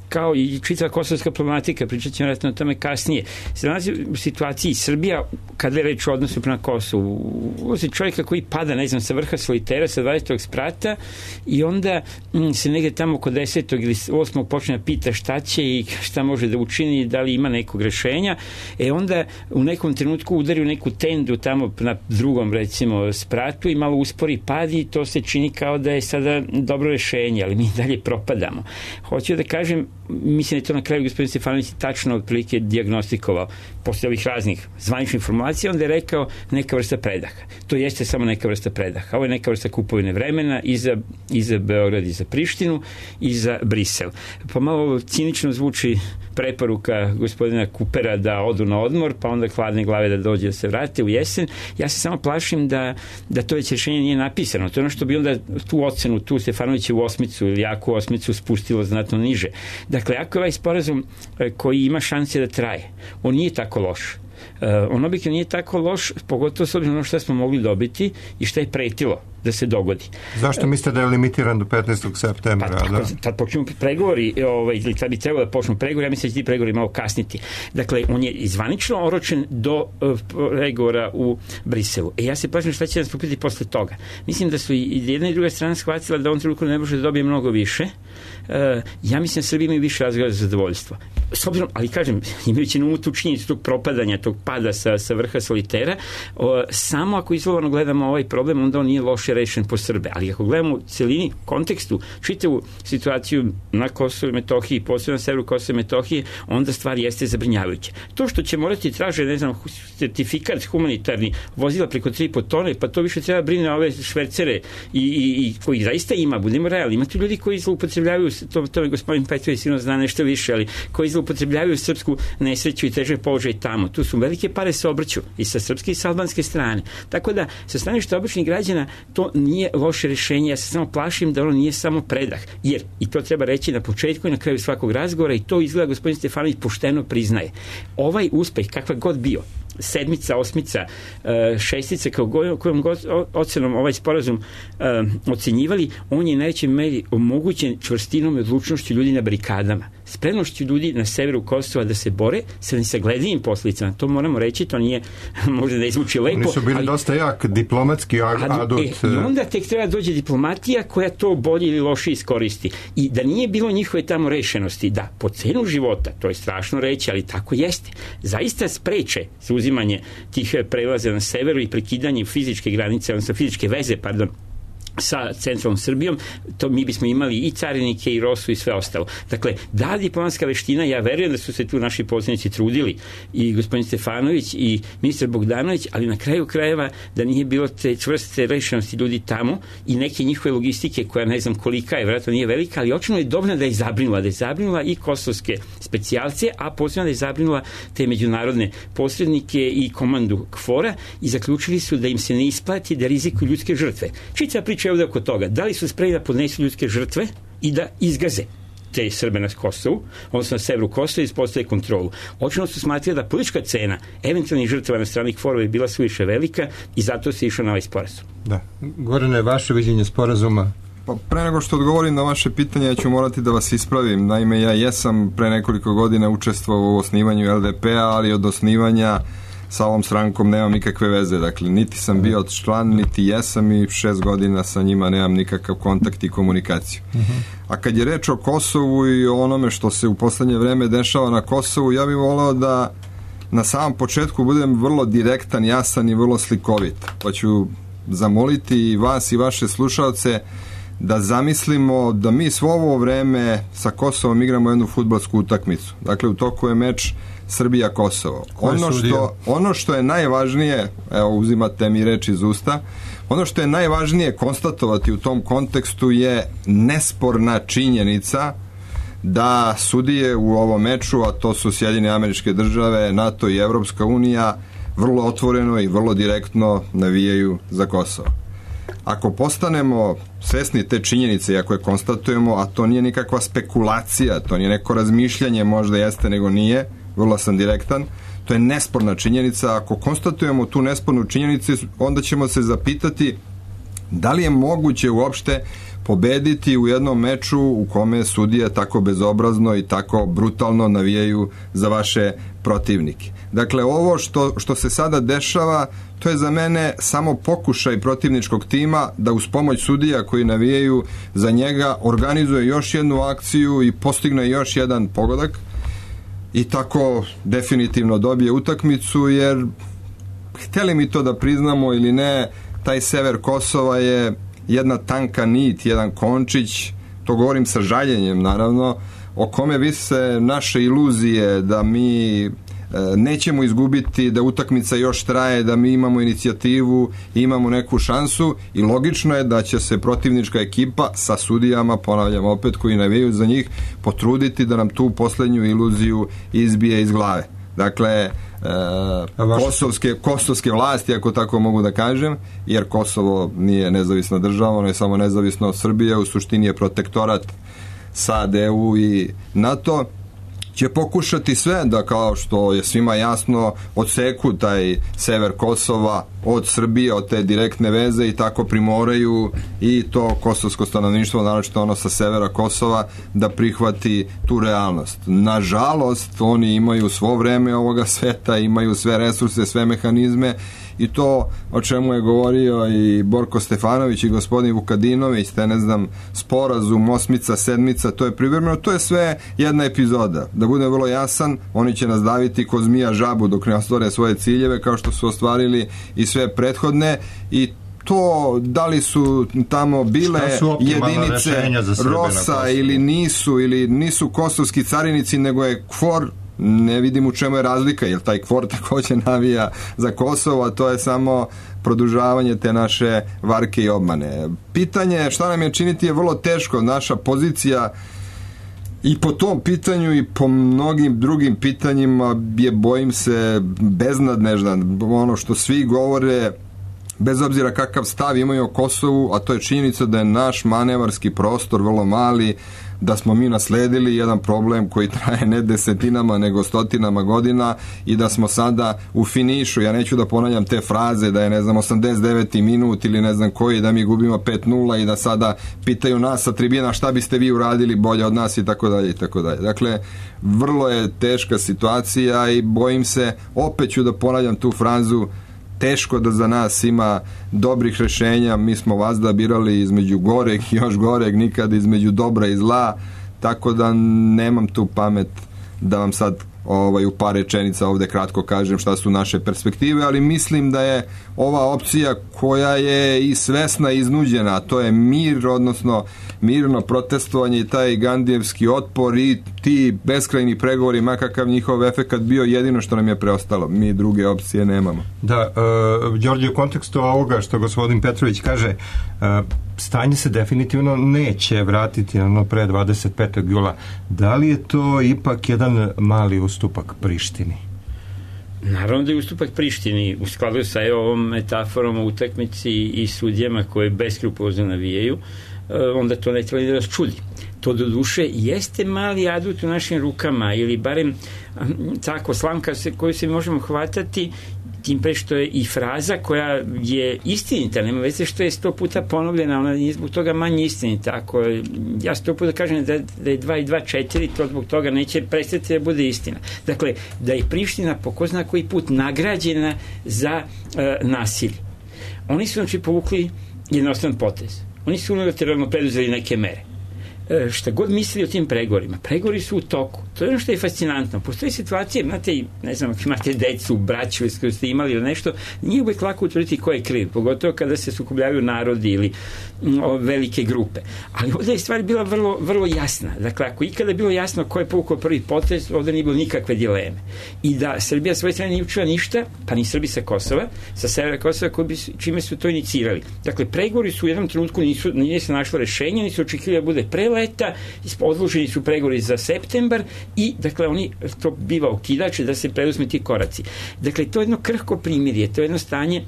kao i čitava kosovska problematika, pričat ćemo vjerojatno o tome kasnije, se nalazi u situaciji Srbija, kada je reč o odnosu prema Kosovu. Uvozi čovjeka koji pada, ne znam, sa vrha solitera, sa 20. sprata i onda se negde tamo oko 10. ili 8. počne da pita šta će i šta može da učini, da li ima nekog rešenja. Onda u nekom trenutku udari u neku tendu tamo na drugom, recimo, spratu i malo uspori pad i to se čini kao da je sada dobro rešenje, ali mi dalje propadamo. Hoću da kažem, mislim da je to na kraju gospodin Stefanović tačno otprilike dijagnostikovao posle ovih raznih zvaničnih formulacija, onda je rekao neka vrsta predaha. To jeste samo neka vrsta predaha. Ovo je neka vrsta kupovine vremena i za Beograd, i za Prištinu, i za Brisel. Pomalo cinično zvuči preporuka gospodina Kupera da odu na odmor, pa onda hladne glave da dođe da se vrate u jesen. Ja se samo plašim da to već rješenje nije napisano. To je ono što bi onda tu ocenu, tu Stefanovićevu osmicu ili jaku osmicu spustilo znatno niže. Dakle, ako je ovaj sporazum koji ima šanse da traje, on nije tako loš. On objektivno nije tako loš, pogotovo s obzirom na što smo mogli dobiti i što je pretilo da se dogodi. Zašto mislite da je limitiran do 15. septembra? Tad počnu pregovori, ili tad bi trebalo da počnu pregovori, ja mislim da će ti pregovori malo kasniti. Dakle, on je izvanično oročen do pregovora u Briselu. Ja se plašim šta će nas popiti posle toga. Mislim da su i jedna i druga strana shvatila da on trenutno ne može da dobije mnogo više. Ja mislim da Srbija imaju više razloga za zadovoljstvo. S obzirom, ali kažem, imajući na umu tu činjenicu tog propadanja, tog pada sa vrha solitera, samo ako izolovano gledamo ovaj problem, onda on nije loše rešen po Srbe. Ali ako gledamo u celini, kontekstu, čitavu situaciju na Kosovu i Metohiji, posebno na severu Kosova i Metohije, onda stvar jeste zabrinjavajuća. To što će morati traže, ne znam, certifikat humanitarni, vozila preko 3,5 tone, pa to više treba brine ove švercere i koji zaista ima, budemo realni. Ima tu ljudi koji zloupotrebljavaju, to je gospodin Petrović sigurno zna nešto više, ali koji zloupotrebljavaju srpsku nesreću i teže položaj tamo. Tu su velike pare se obrću i sa srpske i sa albanske strane. Tako da, sa strane što običnih građana, to nije loše rešenje. Ja se samo plašim da ono nije samo predah. Jer, i to treba reći na početku i na kraju svakog razgovora, i to izgleda gospodin Stefanović pošteno priznaje. Ovaj uspeh, kakva god bio, 7., 8., 6., kojom god ocenom ovaj sporazum ocenjivali, on je najvećoj meri omogućen čvrstinom i odlučnošću ljudi na barikadama, spremnošću ljudi na severu Kosova da se bore sa nesagledivim posledicama. To moramo reći, to nije možda da izvuči lepo. Oni su bili dosta jak diplomatski adut. I onda tek treba dođe diplomatija koja to bolje ili loše iskoristi. I da nije bilo njihove tamo rešenosti, da po cenu života, to je strašno reći, ali tako jeste, zaista spreče uzimanje tih prelaza na severu i prekidanje fizičke granice, odnosno fizičke veze, sa centralnom Srbijom, to mi bismo imali i carinike i Rosu i sve ostalo. Dakle, da diplomatska veština, ja verujem da su se tu naši poslanici trudili, i gospodin Stefanović i ministar Bogdanović, ali na kraju krajeva da nije bilo te čvrste rešenosti ljudi tamo i neke njihove logistike koja ne znam kolika je, vjerojatno nije velika, ali očino je dovoljno da je zabrinula i kosovske specijalce, a posebno da je zabrinula te međunarodne posrednike i komandu KFOR-a i zaključili su da im se ne isplati da rizikuju ljudske žrtve. Čitava priča je ovdje oko toga. Da li su spremni da podnesu ljudske žrtve i da izgaze te Srbe na Kosovu, odnosno na severu Kosova, i ispostave kontrolu. Očino su smatrali da politička cena eventualnih žrtava na strani KFOR-ova je bila suviše velika i zato se išao na ovaj sporazum. Da. Gorane, vaše viđenje sporazuma? Pa pre nego što odgovorim na vaše pitanje, ja ću morati da vas ispravim. Naime, ja jesam pre nekoliko godina učestvovao u osnivanju LDP-a, ali od osnivanja sa ovom strankom nemam nikakve veze. Dakle, niti sam bio član, niti jesam, i 6 godina sa njima nemam nikakav kontakt i komunikaciju. A kad je reč o Kosovu i o onome što se u poslednje vreme dešava na Kosovu, ja bih voleo da na samom početku budem vrlo direktan, jasan i vrlo slikovit. Pa ću zamoliti i vas i vaše slušalce da zamislimo da mi svo ovo vreme sa Kosovom igramo jednu fudbalsku utakmicu. Dakle, u toku je meč Srbija-Kosovo. Ono što je najvažnije, evo uzimate mi reč iz usta, ono što je najvažnije konstatovati u tom kontekstu je nesporna činjenica da sudije u ovom meču, a to su Sjedinjene Američke Države, NATO i Evropska unija, vrlo otvoreno i vrlo direktno navijaju za Kosovo. Ako postanemo svesni te činjenice i ako je konstatujemo, a to nije nikakva spekulacija, to nije neko razmišljanje, možda jeste nego nije, vrlo sam direktan, to je nesporna činjenica. Ako konstatujemo tu nespornu činjenicu, onda ćemo se zapitati da li je moguće uopšte pobediti u jednom meču u kome sudije tako bezobrazno i tako brutalno navijaju za vaše protivnike. Dakle, ovo što se sada dešava, to je za mene samo pokušaj protivničkog tima da uz pomoć sudija koji navijaju za njega organizuje još jednu akciju i postigne još jedan pogodak i tako definitivno dobije utakmicu, jer hteli mi to da priznamo ili ne, taj sever Kosova je jedna tanka nit, jedan končić, to govorim sa žaljenjem naravno, o kome vise naše iluzije da mi nećemo izgubiti, da utakmica još traje, da mi imamo inicijativu i imamo neku šansu, i logično je da će se protivnička ekipa sa sudijama, ponavljam opet, koji navijaju za njih, potruditi da nam tu poslednju iluziju izbije iz glave. Dakle, kosovske vlasti, ako tako mogu da kažem, jer Kosovo nije nezavisna država, ono je samo nezavisno od Srbije, u suštini je protektorat SAD, EU i NATO, će pokušati sve da, kao što je svima jasno, odseku taj sever Kosova od Srbije, od te direktne veze, i tako primoraju i to kosovsko stanovništvo, naročito ono sa severa Kosova, da prihvati tu realnost. Nažalost, oni imaju svo vreme ovoga sveta, imaju sve resurse, sve mehanizme, i to o čemu je govorio i Borko Stefanović i gospodin Vukadinović, te ne znam, sporazum, osmica, sedmica, to je privremeno, to je sve jedna epizoda. Da budem vrlo jasan, oni će nas daviti ko zmija žabu dok ne ostvare svoje ciljeve, kao što su ostvarili i sve prethodne, i to da li su tamo bile jedinice ROSA ili nisu kosovski carinici, nego je KFOR, ne vidim u čemu je razlika, jer taj KFOR takođe navija za Kosovo, a to je samo produžavanje te naše varke i obmane. Pitanje šta nam je činiti je vrlo teško. Naša pozicija i po tom pitanju i po mnogim drugim pitanjima je, bojim se, beznadnežna. Ono što svi govore, bez obzira kakav stav imaju o Kosovu, a to je činjenica da je naš manevarski prostor vrlo mali, da smo mi nasledili jedan problem koji traje ne desetinama nego stotinama godina i da smo sada u finišu. Ja neću da ponavljam te fraze da je, ne znam, 89. minut ili ne znam koji, da mi gubimo 5-0 i da sada pitaju nas sa tribina šta biste vi uradili bolje od nas i tako dalje i tako dalje. Dakle, vrlo je teška situacija i bojim se, opet ću da ponavljam tu frazu, teško da za nas ima dobrih rešenja. Mi smo vazda birali između goreg i još goreg, nikad između dobra i zla, tako da nemam tu pamet da vam sad u par rečenica ovde kratko kažem šta su naše perspektive, ali mislim da je ova opcija koja je i svesna i iznuđena, a to je mir, odnosno mirno protestovanje i taj gandijevski otpor i ti beskrajni pregovori, makakav njihov efekat bio, jedino što nam je preostalo. Mi druge opcije nemamo. Da, Đorđe, u kontekstu ovoga što gospodin Petrović kaže, stanje se definitivno neće vratiti na ono pre 25. jula. Da li je to ipak jedan mali ustupak Prištini? Naravno da je ustupak Prištini u skladu sa ovom metaforom o utakmici i sudijama koje beskrupulozno navijaju, onda to ne treba da nas čudi. To do duše jeste mali adut u našim rukama, ili barem tako slamka koju se možemo hvatati, tim pre što je i fraza koja je istinita, nema veze što je 100 puta ponovljena, ona nije zbog toga manje istinita. Ako ja 100 puta kažem da je 2 i 2 4, to zbog toga neće prestati da bude istina. Dakle, da je Priština po ko zna koji put nagrađena za nasilje. Oni su znači povukli jednostavan potez. Oni su unilateralno preduzeli neke mere. Šta god mislili o tim pregovorima, pregovori su u toku. To je ono što je fascinantno. Postoji situacije, znate, ne znam, ako imate decu, braću koju ste imali ili nešto, nije uvek lako utvrditi ko je kriv, pogotovo kada se sukobljavaju narodi ili velike grupe. Ali ovdje je stvar bila vrlo, vrlo jasna. Dakle, ako ikada je bilo jasno ko je povukao prvi potez, ovdje nije bilo nikakve dileme. I da Srbija svoje strane nije učila ništa, pa ni Srbi sa Kosova, sa severa Kosova, čime su to inicirali. Dakle, pregovori su u jednom trenutku nije se našlo rešenje, nisu očekivali da bude prelep, leta, odloženi su pregovori za septembar i, dakle, oni, to biva okidač da se preduzme ti koraci. Dakle, to je jedno krhko primirje, to je jedno stanje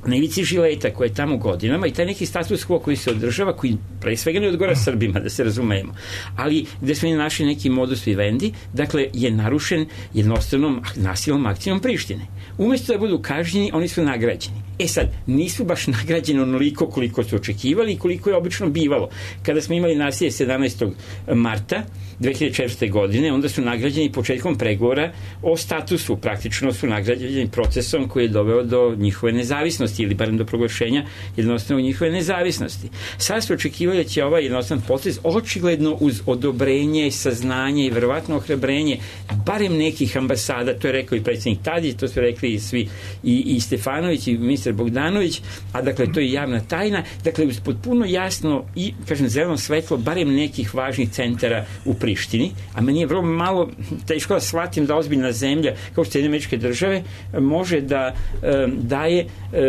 na ivici žileta koje je tamo godinama i taj neki status quo koji se održava, koji pre svega ne odgovara Srbima, da se razumemo, ali gde smo našli neki modus vivendi, dakle, je narušen jednostavnom nasilnom akcijom Prištine. Umesto da budu kažnjeni, oni su nagrađeni. Sad, nisu baš nagrađeni onoliko koliko su očekivali i koliko je obično bivalo. Kada smo imali nasilje 17. marta 2004. godine, onda su nagrađeni početkom pregovora o statusu, praktično su nagrađeni procesom koji je doveo do njihove nezavisnosti ili barem do proglašenja jednostavno njihove nezavisnosti. Sad su očekivali da će ovaj jednostavan proces očigledno uz odobrenje, saznanje i verovatno ohrabrenje barem nekih ambasada, to je rekao i predsjednik Tadić, to su rekli i svi i Stefanović i ministar Bogdanović, a dakle to je javna tajna, dakle uz potpuno jasno i, kažem, zeleno svetlo barem nekih važnih centara u Prištini, a meni je vrlo malo teško da shvatim da ozbiljna zemlja kao što Sjedinjene Američke Države može da daje,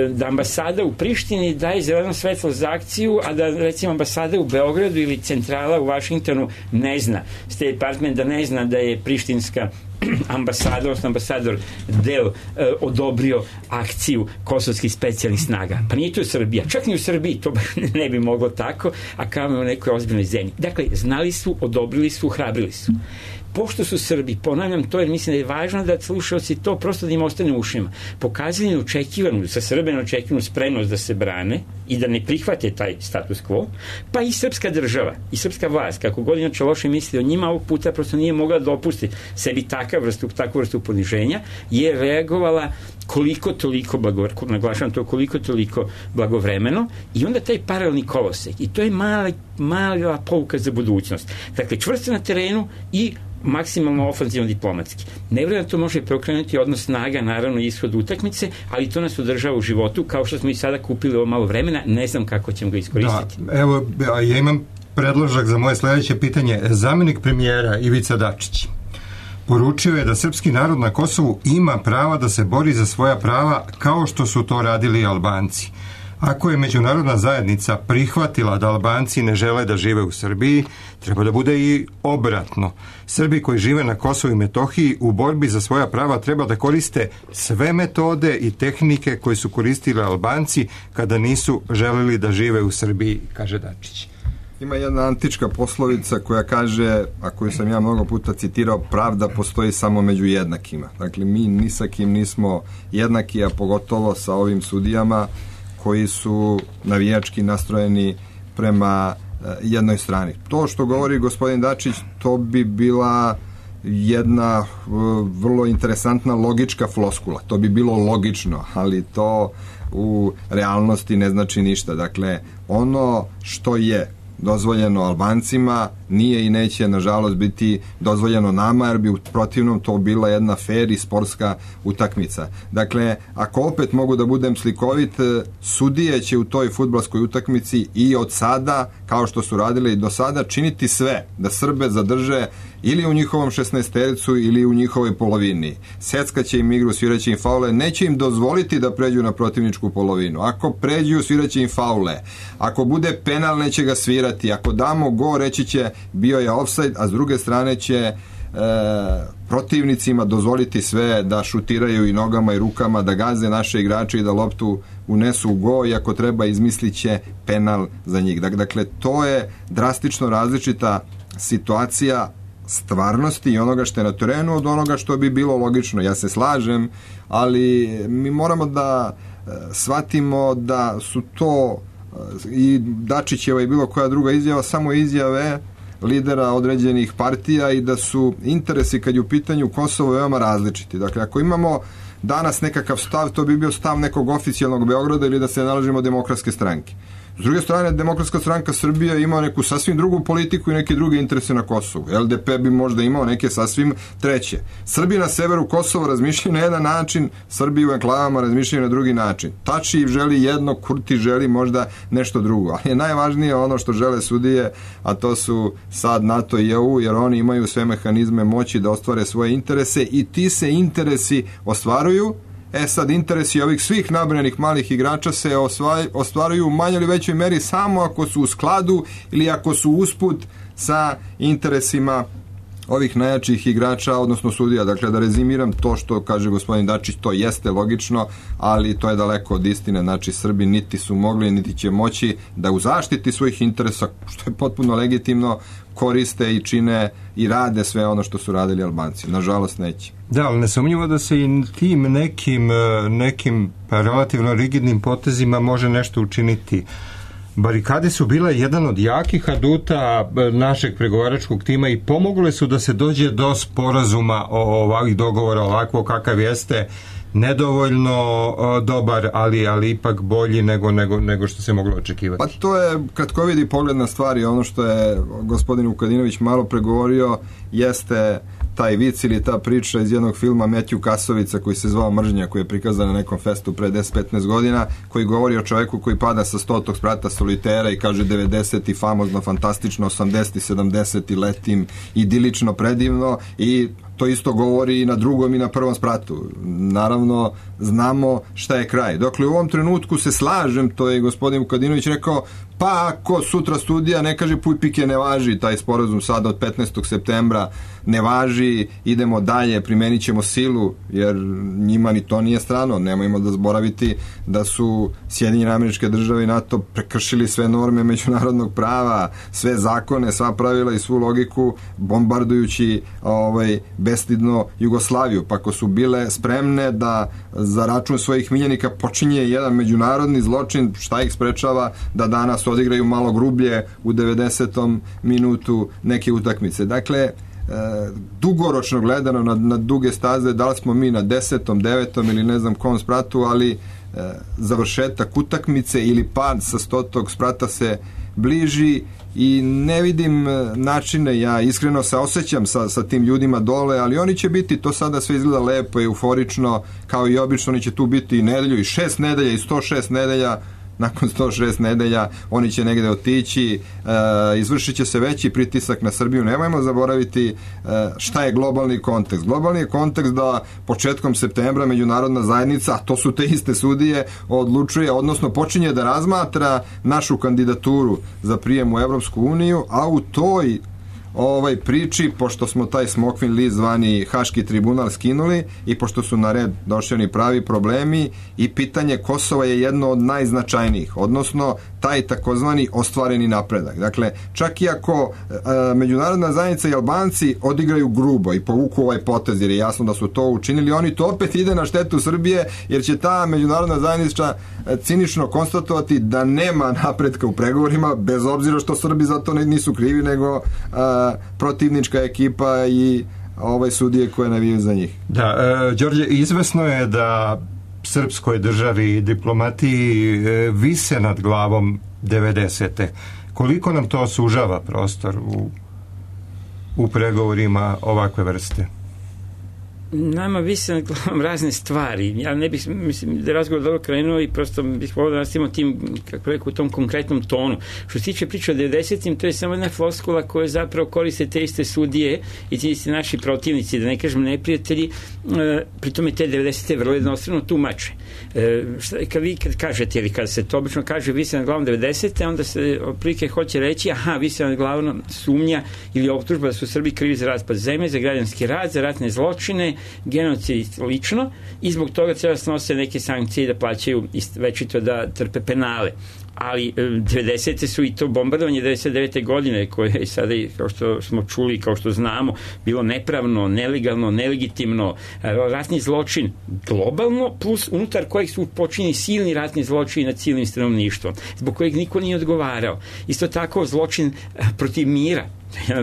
da ambasada u Prištini daje zeleno svetlo za akciju, a da recimo ambasada u Beogradu ili centrala u Vašingtonu ne zna, State Department da ne zna da je prištinska ambasada, odnosno ambasador Del odobrio akciju kosovskih specijalnih snaga. Pa nije to Srbija. Čak ni u Srbiji to ne bi moglo tako, a kao u nekoj ozbiljnoj zemlji. Dakle, znali su, odobrili su, hrabrili su. Pošto su Srbi, ponavljam to jer mislim da je važno da slušalci to prosto da im ostane u ušima, pokazali neočekivanu, sa Srbe neočekivanu spremnost da se brane i da ne prihvate taj status quo, pa i srpska država i srpska vlast, kako god inače loše misli o njima, ovog puta prosto nije mogla dopustiti sebi takvu vrstu poniženja, je reagovala koliko toliko naglašavam to, koliko toliko blagovremeno, i onda taj paralelni kolosek, i to je mala pouka za budućnost. Dakle, čvrsto na terenu i maksimalno ofanzivno diplomatski. Ne vjerujem da to može preokrenuti odnos snaga, naravno ishod utakmice, ali to nas održava u životu, kao što smo i sada kupili ovo malo vremena, ne znam kako ćemo ga iskoristiti. Da, evo, ja imam predložak za moje sledeće pitanje. Zamjenik premijera Ivica Dačić poručio je da srpski narod na Kosovu ima prava da se bori za svoja prava kao što su to radili Albanci. Ako je međunarodna zajednica prihvatila da Albanci ne žele da žive u Srbiji, treba da bude i obratno. Srbi koji žive na Kosovu i Metohiji u borbi za svoja prava treba da koriste sve metode i tehnike koje su koristili Albanci kada nisu želeli da žive u Srbiji, kaže Dačić. Ima jedna antička poslovica koja kaže, a koju sam ja mnogo puta citirao, pravda postoji samo među jednakima. Dakle, mi ni sa kim nismo jednaki, a pogotovo sa ovim sudijama koji su navijački nastrojeni prema jednoj strani. To što govori gospodin Dačić, to bi bila jedna vrlo interesantna logička floskula. To bi bilo logično, ali to u realnosti ne znači ništa. Dakle, ono što je dozvoljeno Albancima nije i neće nažalost biti dozvoljeno nama, jer bi u protivnom to bila jedna fair i sportska utakmica. Dakle, ako opet mogu da budem slikovit, sudije će u toj fudbalskoj utakmici i od sada, kao što su radili i do sada, činiti sve da Srbe zadrže ili u njihovom 16-tericu ili u njihovoj polovini. Seckaće im igru, sviraće im faule, neće im dozvoliti da pređu na protivničku polovinu. Ako pređu, sviraće im faule. Ako bude penal, neće ga svirati. Ako damo go, reći će bio je ofsajd, a s druge strane će protivnicima dozvoliti sve da šutiraju i nogama i rukama, da gaze naše igrače i da loptu unesu u go, i ako treba izmislit će penal za njih. Dakle, to je drastično različita situacija stvarnosti i onoga što je na terenu od onoga što bi bilo logično. Ja se slažem, ali mi moramo da shvatimo da su to i Dačićeva i bilo koja druga izjava samo izjave lidera određenih partija i da su interesi kad je u pitanju Kosovo veoma različiti. Dakle, ako imamo danas nekakav stav, to bi bio stav nekog oficijalnog Beograda ili da se nalažimo Demokratske stranke. S druge strane, Demokratska stranka Srbije ima neku sasvim drugu politiku i neke druge interese na Kosovu. LDP bi možda imao neke sasvim treće. Srbi na severu Kosova razmišljaju na jedan način, Srbi u enklavama razmišljaju na drugi način. Tači želi jedno, Kurti želi možda nešto drugo. Ali je najvažnije ono što žele sudije, a to su sad NATO i EU, jer oni imaju sve mehanizme moći da ostvare svoje interese i ti se interesi ostvaruju Sad interesi ovih svih nabrojanih malih igrača se ostvaruju u manjoj ili većoj meri samo ako su u skladu ili ako su usput sa interesima ovih najjačih igrača, odnosno sudija. Dakle, da rezimiram, to što kaže gospodin Dačić, to jeste logično, ali to je daleko od istine. Znači, Srbi niti su mogli, niti će moći da u zaštiti svojih interesa, što je potpuno legitimno, koriste i čine i rade sve ono što su radili Albanci. Nažalost, neće. Da, ali nesumnjivo da se i tim nekim relativno rigidnim potezima može nešto učiniti. Barikade su bile jedan od jakih aduta našeg pregovaračkog tima i pomogle su da se dođe do sporazuma o ovakvih dogovora, ovako kakav jeste, nedovoljno dobar, ali ipak bolji nego što se moglo očekivati. Pa to je kratkovidi pogled na stvari. Ono što je gospodin Vukadinović malo pregovorio jeste taj vic ili ta priča iz jednog filma Metju Kasovica koji se zvao Mržnja, koji je prikazan na nekom festu pre 10-15 godina, koji govori o čoveku koji pada sa 100. sprata solitera i kaže 90. famozno, fantastično, 80. 70. letim, idilično, predivno, i to isto govori i na drugom i na prvom spratu. Naravno, znamo šta je kraj. Dokle u ovom trenutku se slažem, to je gospodin Vukadinović rekao, pa ako sutra studija ne kaže puj pike ne važi, taj sporazum sada od 15. septembra ne važi, idemo dalje, primenit ćemo silu, jer njima ni to nije strano. Nemojmo da zaboraviti da su Sjedinjene Američke Države i NATO prekršili sve norme međunarodnog prava, sve zakone, sva pravila i svu logiku, bombardujući bestidno Jugoslaviju. Pa ako su bile spremne da za račun svojih miljenika počinje jedan međunarodni zločin, šta ih sprečava da danas odigraju malo grublje u 90. minutu neke utakmice. Dakle, dugoročno gledano na duge staze, da li smo mi na 10., 9. ili ne znam kom spratu, ali završetak utakmice ili pad sa 100. sprata se bliži i ne vidim načine. Ja iskreno se osjećam sa tim ljudima dole, ali oni će biti, to sada sve izgleda lepo i euforično, kao i obično, oni će tu biti i nedelju i 6 nedelja i 106 nedelja. Nakon 106 nedelja oni će negde otići, izvršit će se veći pritisak na Srbiju. Nemojmo zaboraviti šta je globalni kontekst. Globalni je kontekst da početkom septembra međunarodna zajednica, a to su te iste sudije, odlučuje, odnosno počinje da razmatra našu kandidaturu za prijem u Evropsku uniju, a u toj priči, pošto smo taj smokvin list zvani Haški tribunal skinuli i pošto su na red došli oni pravi problemi, i pitanje Kosova je jedno od najznačajnijih, odnosno taj takozvani ostvareni napredak. Dakle, čak i ako međunarodna zajednica i Albanci odigraju grubo i povuku ovaj potez, jer je jasno da su to učinili, oni to opet ide na štetu Srbije, jer će ta međunarodna zajednica cinično konstatovati da nema napretka u pregovorima, bez obzira što Srbi za to nisu krivi, nego protivnička ekipa i sudije koje navijaju za njih. Da, Đorđe, izvesno je da srpskoj državi i diplomatiji vise nad glavom 90. Koliko nam to sužava prostor u pregovorima ovakve vrste? Nama vise nad glavom razne stvari. Ja ne bih, mislim, da je razgovor dobro krenuo i prosto bih volio da nastavimo tim, kako rekao, u tom konkretnom tonu. Što se tiče priče o 90-im, to je samo jedna floskula koja zapravo koriste te iste sudije i ti iste naši protivnici, da ne kažem neprijatelji, pri tome te 90-te vrlo jednostrano tumače. Kad kažete, ili kada se to obično kaže vise nad glavom 90-te, onda se otprilike hoće reći, vise nad glavom sumnja ili optužba da su Srbi krivi za raspad zemlje, za građanski rat, za ratne zločine, genocid i slično, i zbog toga treba snose neke sankcije i da plaćaju večito da trpe penale. Ali 90. su i to bombardovanje 99. godine koje je sada, kao što smo čuli, kao što znamo, bilo nepravno, nelegalno, nelegitimno, ratni zločin globalno, plus unutar kojeg su počinjeni silni ratni zločini nad civilnim stanovništvom, zbog kojeg niko nije odgovarao. Isto tako zločin protiv mira,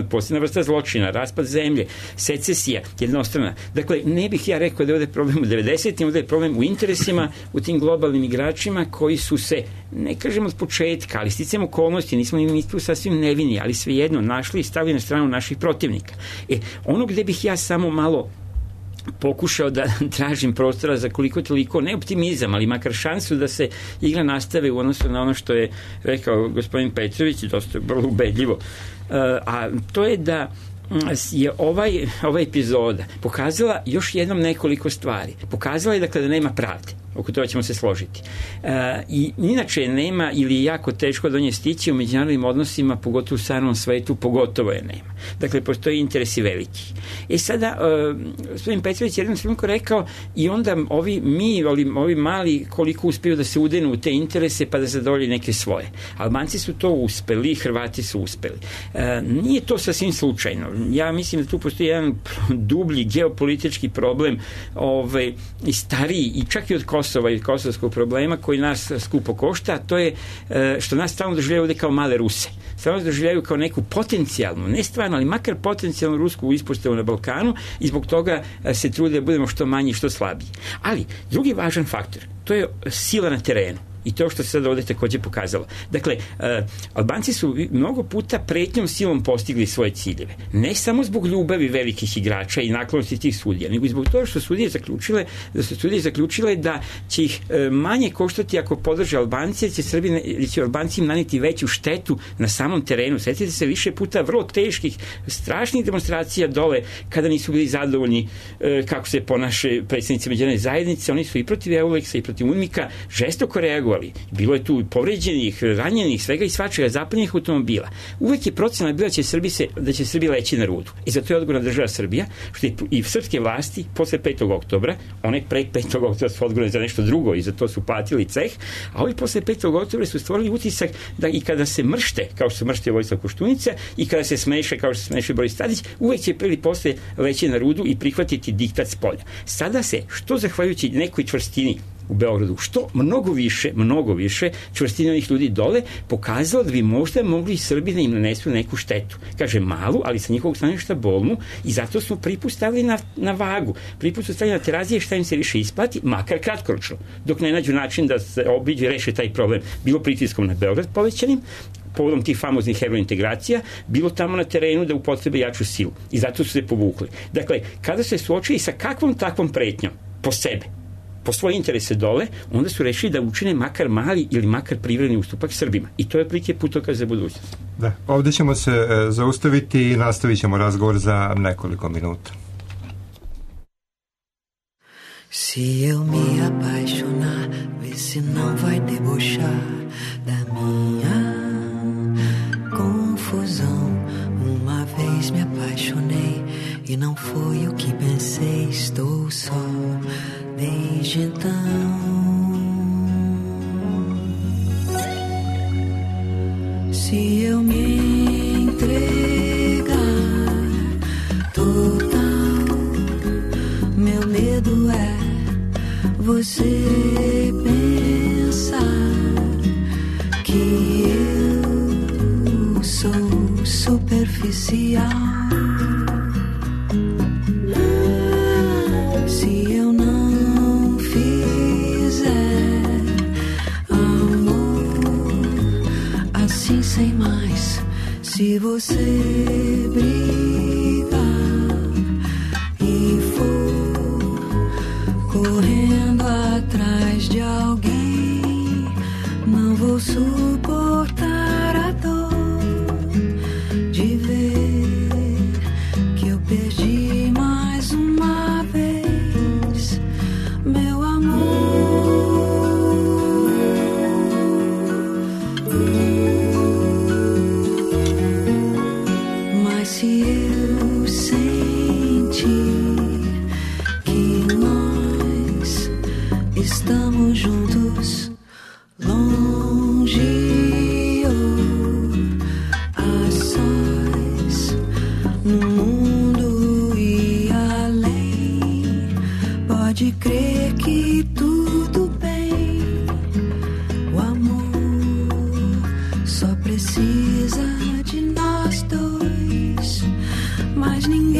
posljedna vrsta zločina, raspad zemlje, secesija, jednostrana. Dakle, ne bih ja rekao da je ovde problem u 90-im, ovde je problem u interesima, u tim globalnim igračima koji su se, ne kažem od početka, ali sticajem okolnosti, nismo ni tu sasvim nevini, ali svejedno našli i stavili na stranu naših protivnika. Ono gde bih ja samo malo pokušao da tražim prostora za koliko toliko, ne optimizam, ali makar šansu da se igra nastave u odnosu na ono što je rekao gospodin Petrović, dosta vrlo ubedljivo, a to je da je ova epizoda pokazala još jednom nekoliko stvari. Pokazala je dakle da nema pravde. Oko toga ćemo se složiti. I inače nema ili je jako teško do nje stići u međunarodnim odnosima, pogotovo u stranom svetu, pogotovo je nema. Dakle, postoji interesi veliki. Sada, gospodin Petrović je jednom trenutku rekao i onda ovi mali koliko uspiju da se udenu u te interese pa da zadovolji neke svoje. Albanci su to uspeli, Hrvati su uspeli. Nije to sasvim slučajno. Ja mislim da tu postoji jedan dublji geopolitički problem i stariji i čak i od Kosova i kosovskog problema koji nas skupo košta, a to je što nas stalno doživljaju ovde kao male Ruse. Stalno doživljaju kao neku potencijalnu, ne stvarno, ali makar potencijalnu rusku ispostavu na Balkanu i zbog toga se trude da budemo što manji i što slabiji. Ali, drugi važan faktor, to je sila na terenu. I to što se sad ovdje također pokazalo. Dakle, Albanci su mnogo puta pretnjom silom postigli svoje ciljeve. Ne samo zbog ljubavi velikih igrača i naklonosti tih sudija, nego i zbog toga što su sudije zaključile da će ih manje koštati ako podrže Albanci, jer će Albanci im naneti veću štetu na samom terenu. Sjetite se više puta vrlo teških, strašnih demonstracija dole kada nisu bili zadovoljni kako se ponaše predstavnici međunarodne zajednice. Oni su i protiv Euleksa i protiv UNMIK-a žestoko reagovali. Bilo je tu povređenih, ranjenih, svega i svačega, zapaljenih automobila. Uvek je procena bila da će Srbija leći na rudu. I zato je odgovorna država Srbija, što je i srpske vlasti posle 5. oktobra, one pre 5. oktobra su odgovorne za nešto drugo i za to su platili ceh, a ovi posle 5. oktobra su stvorili utisak da i kada se mršte, kao što se mrštio Vojislav Koštunica, i kada se smeše, kao što se smeše Boris Tadić, uvek će prvi posle leći na rudu i prihvatiti diktat s polja. Sada se, što zahvaljujući nekoj čvrstini u Beogradu, što mnogo više čvrstine onih ljudi dole, pokazalo da bi možda mogli Srbi da im nanesu neku štetu. Kaže malu, ali sa njihovog stanovišta bolnu, i zato smo priput stavili na vagu. Priput su stavili na terazije šta im se više isplati, makar kratkoročno, dok ne nađu način da se obiđe, reše taj problem. Bilo pritiskom na Beograd povećanim, povodom tih famoznih eurointegracija, bilo tamo na terenu da upotrebe jaču silu. I zato su se povukli. Dakle, kada se suočili sa kakvom takvom pretnjom po sebe, po svoje interese dole, onda su rešili da učine makar mali ili makar privredni ustupak Srbima. I to je prilike putokaz za budućnost. Da, ovdje ćemo se zaustaviti i nastavit ćemo razgovor za nekoliko minuta. Se eu me apaixonar, vê se não vai debochar da minha confusão. Uma vez me apaixonei e não foi o que pensei, estou só desde então. Se eu me entregar total, meu medo é você pensar que eu sou superficial. Se eu não fizer amor assim sem mais, se você brigar e for correndo atrás de alguém, não vou suportar a dor de ver que eu perdi mais uma vez meu amor. Mas se eu sentir que nós estamos juntos, longe ou a sós, no mundo e além, pode crer que tudo bem. O amor só precisa de nós dois, mais ninguém.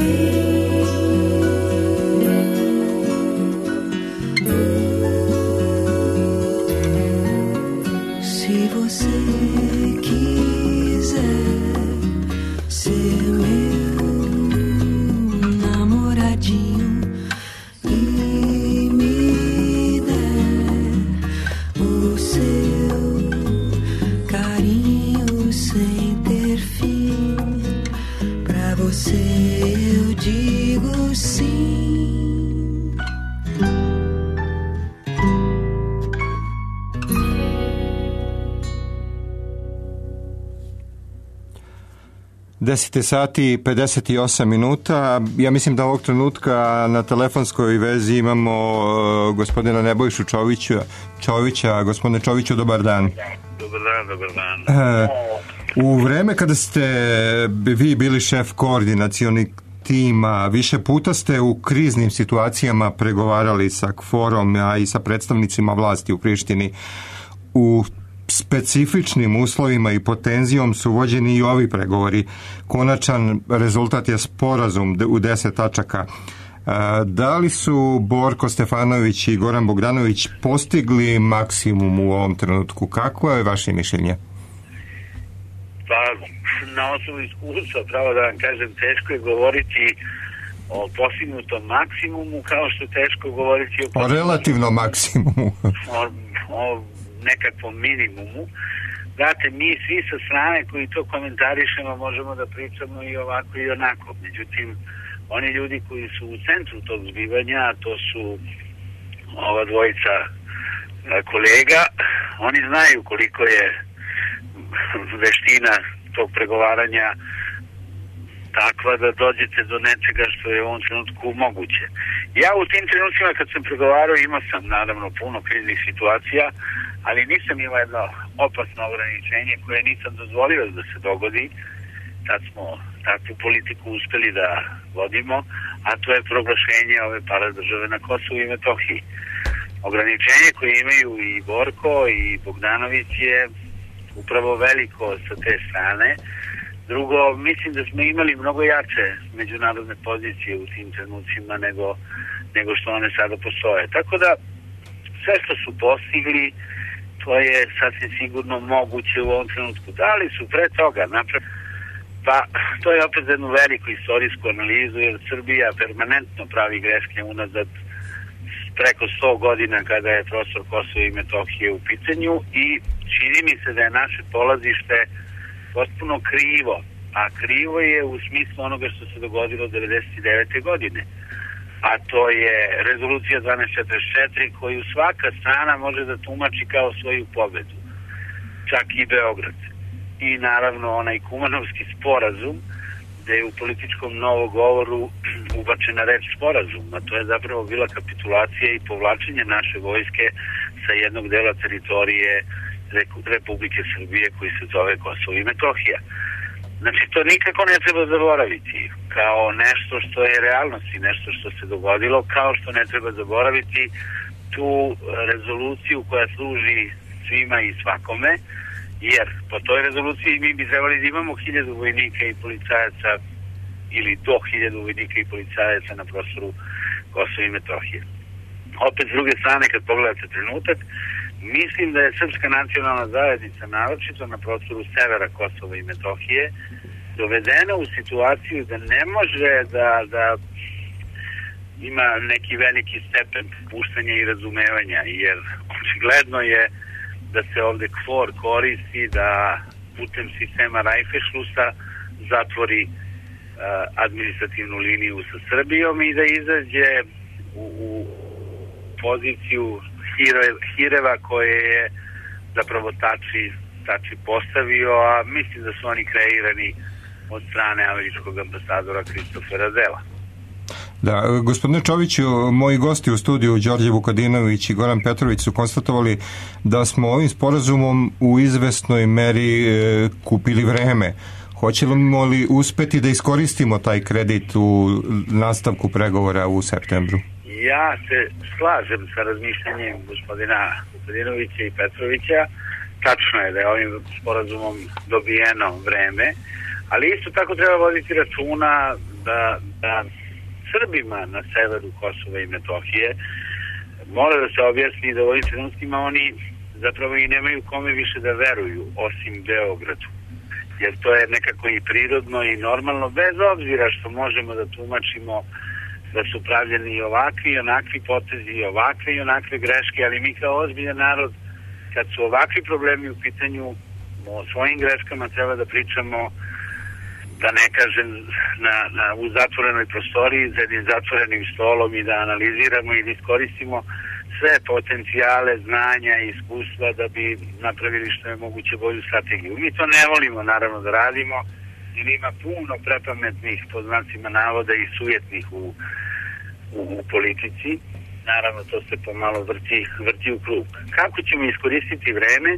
10 sati i 58 minuta. Ja mislim da ovog trenutka na telefonskoj vezi imamo gospodina Nebojšu Čovića. Gospodine Čoviću, dobar dan. Dobar dan. U vreme kada ste vi bili šef koordinacionih tima, više puta ste u kriznim situacijama pregovarali sa KFOR-om, a i sa predstavnicima vlasti u Prištini. U specifičnim uslovima i pod tenzijom su vođeni i ovi pregovori. Konačan rezultat je sporazum u 10 tačaka. Da li su Borko Stefanović i Goran Bogdanović postigli maksimum u ovom trenutku? Kako je vaše mišljenje? Pa, na osnovu iskustva, pravo da vam kažem, teško je govoriti o postignutom maksimumu, kao što je teško govoriti o relativnom maksimumu. o nekakvom minimumu. Znate, mi svi sa strane koji to komentarišemo možemo da pričamo i ovako i onako. Međutim, oni ljudi koji su u centru tog zbivanja, a to su ova dvojica kolega, oni znaju koliko je veština tog pregovaranja takva da dođete do nečega što je u ovom trenutku moguće. Ja u tim trenucima kad sam pregovarao imao sam naravno puno kriznih situacija, ali nisam imao jedno opasno ograničenje koje nisam dozvolio da se dogodi. Tad smo takvu politiku uspeli da vodimo, a to je proglašenje ove paradržave na Kosovu i Metohiji. Ograničenje koje imaju i Borko i Bogdanović je upravo veliko sa te strane. Drugo, mislim da smo imali mnogo jače međunarodne pozicije u tim trenucima nego što one sada postoje. Tako da sve što su postigli, to je sasvim sigurno moguće u ovom trenutku. Da li su pre toga napravili? Pa, to je opet jednu veliku istorijsku analizu, jer Srbija permanentno pravi greške unazad preko 100 godina kada je prostor Kosova i Metohije u pitanju i čini mi se da je naše polazište potpuno krivo, a krivo je u smislu onoga što se dogodilo 1999. godine. A to je rezolucija 1244 koju svaka strana može da tumači kao svoju pobedu. Čak i Beograd. I naravno onaj Kumanovski sporazum gde je u političkom novogovoru ubačena reč sporazum, a to je zapravo bila kapitulacija i povlačenje naše vojske sa jednog dela teritorije Republike Srbije koji se zove Kosovo i Metohija. Znači, to nikako ne treba zaboraviti kao nešto što je realnost i nešto što se dogodilo, kao što ne treba zaboraviti tu rezoluciju koja služi svima i svakome, jer po toj rezoluciji mi bi trebali da imamo 1000 vojnika i policajaca ili do 1000 vojnika i policajaca na prostoru Kosova i Metohije. Opet, s druge strane, kad pogledate trenutak, mislim da je Srpska nacionalna zajednica, naročito na prostoru severa Kosova i Metohije, dovedena u situaciju da ne može da ima neki veliki stepen puštanja i razumevanja, jer očigledno je da se ovde KFOR koristi da putem sistema Rajfešlusa zatvori administrativnu liniju sa Srbijom i da izađe u poziciju hireva koje je zapravo Tači postavio, a mislim da su oni kreirani od strane američkog ambasadora Kristofera Dela. Da, gospodine Čoviću, moji gosti u studiju Đorđe Vukadinović i Goran Petrović su konstatovali da smo ovim sporazumom u izvesnoj meri kupili vreme. Hoćemo li uspeti da iskoristimo taj kredit u nastavku pregovora u septembru? Ja se slažem sa razmišljanjem gospodina Vukadinovića i Petrovića. Tačno je da je ovim sporazumom dobijeno vreme, ali isto tako treba voditi računa da Srbima na severu Kosova i Metohije mora da se objasni da u ovim trenutkima oni zapravo i nemaju kome više da veruju osim Beogradu. Jer to je nekako i prirodno i normalno, bez obzira što možemo da tumačimo da su pravljeni i ovakvi i onakvi potezi i ovakve i onakve greške, ali mi kao ozbiljan narod, kad su ovakvi problemi u pitanju, o svojim greškama treba da pričamo, da ne kažem, u zatvorenoj prostoriji, za jednim zatvorenim stolom i da analiziramo i da iskoristimo sve potencijale, znanja i iskustva da bi napravili što je moguće bolju strategiju. Mi to ne volimo naravno da radimo, jer ima puno prepametnih, po znacima navoda, i sujetnih u politici. Naravno, to se pomalo vrti u krug. Kako ćemo iskoristiti vreme?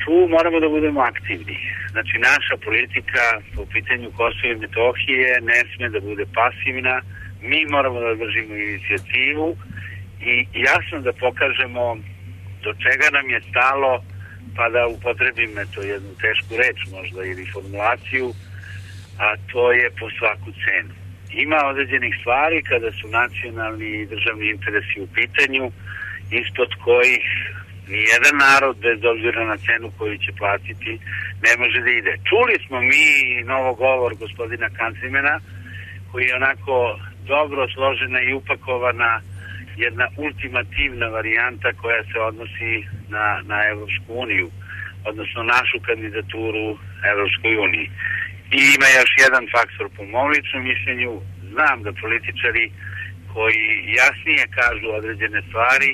Tu moramo da budemo aktivni. Znači, naša politika po pitanju Kosova i Metohije ne sme da bude pasivna. Mi moramo da držimo inicijativu i jasno da pokažemo do čega nam je stalo, pa da upotrebim jednu tešku reč možda ili formulaciju, a to je po svaku cenu. Ima određenih stvari kada su nacionalni i državni interesi u pitanju, ispod kojih nijedan narod, bez obzira na cenu koju će platiti, ne može da ide. Čuli smo mi novogovor gospodina Kanzimena, koji je onako dobro složena i upakovana jedna ultimativna varijanta koja se odnosi na Evropsku uniju, odnosno našu kandidaturu Evropskoj uniji. I ima još jedan faktor po mom ličnom mišljenju. Znam da političari koji jasnije kažu određene stvari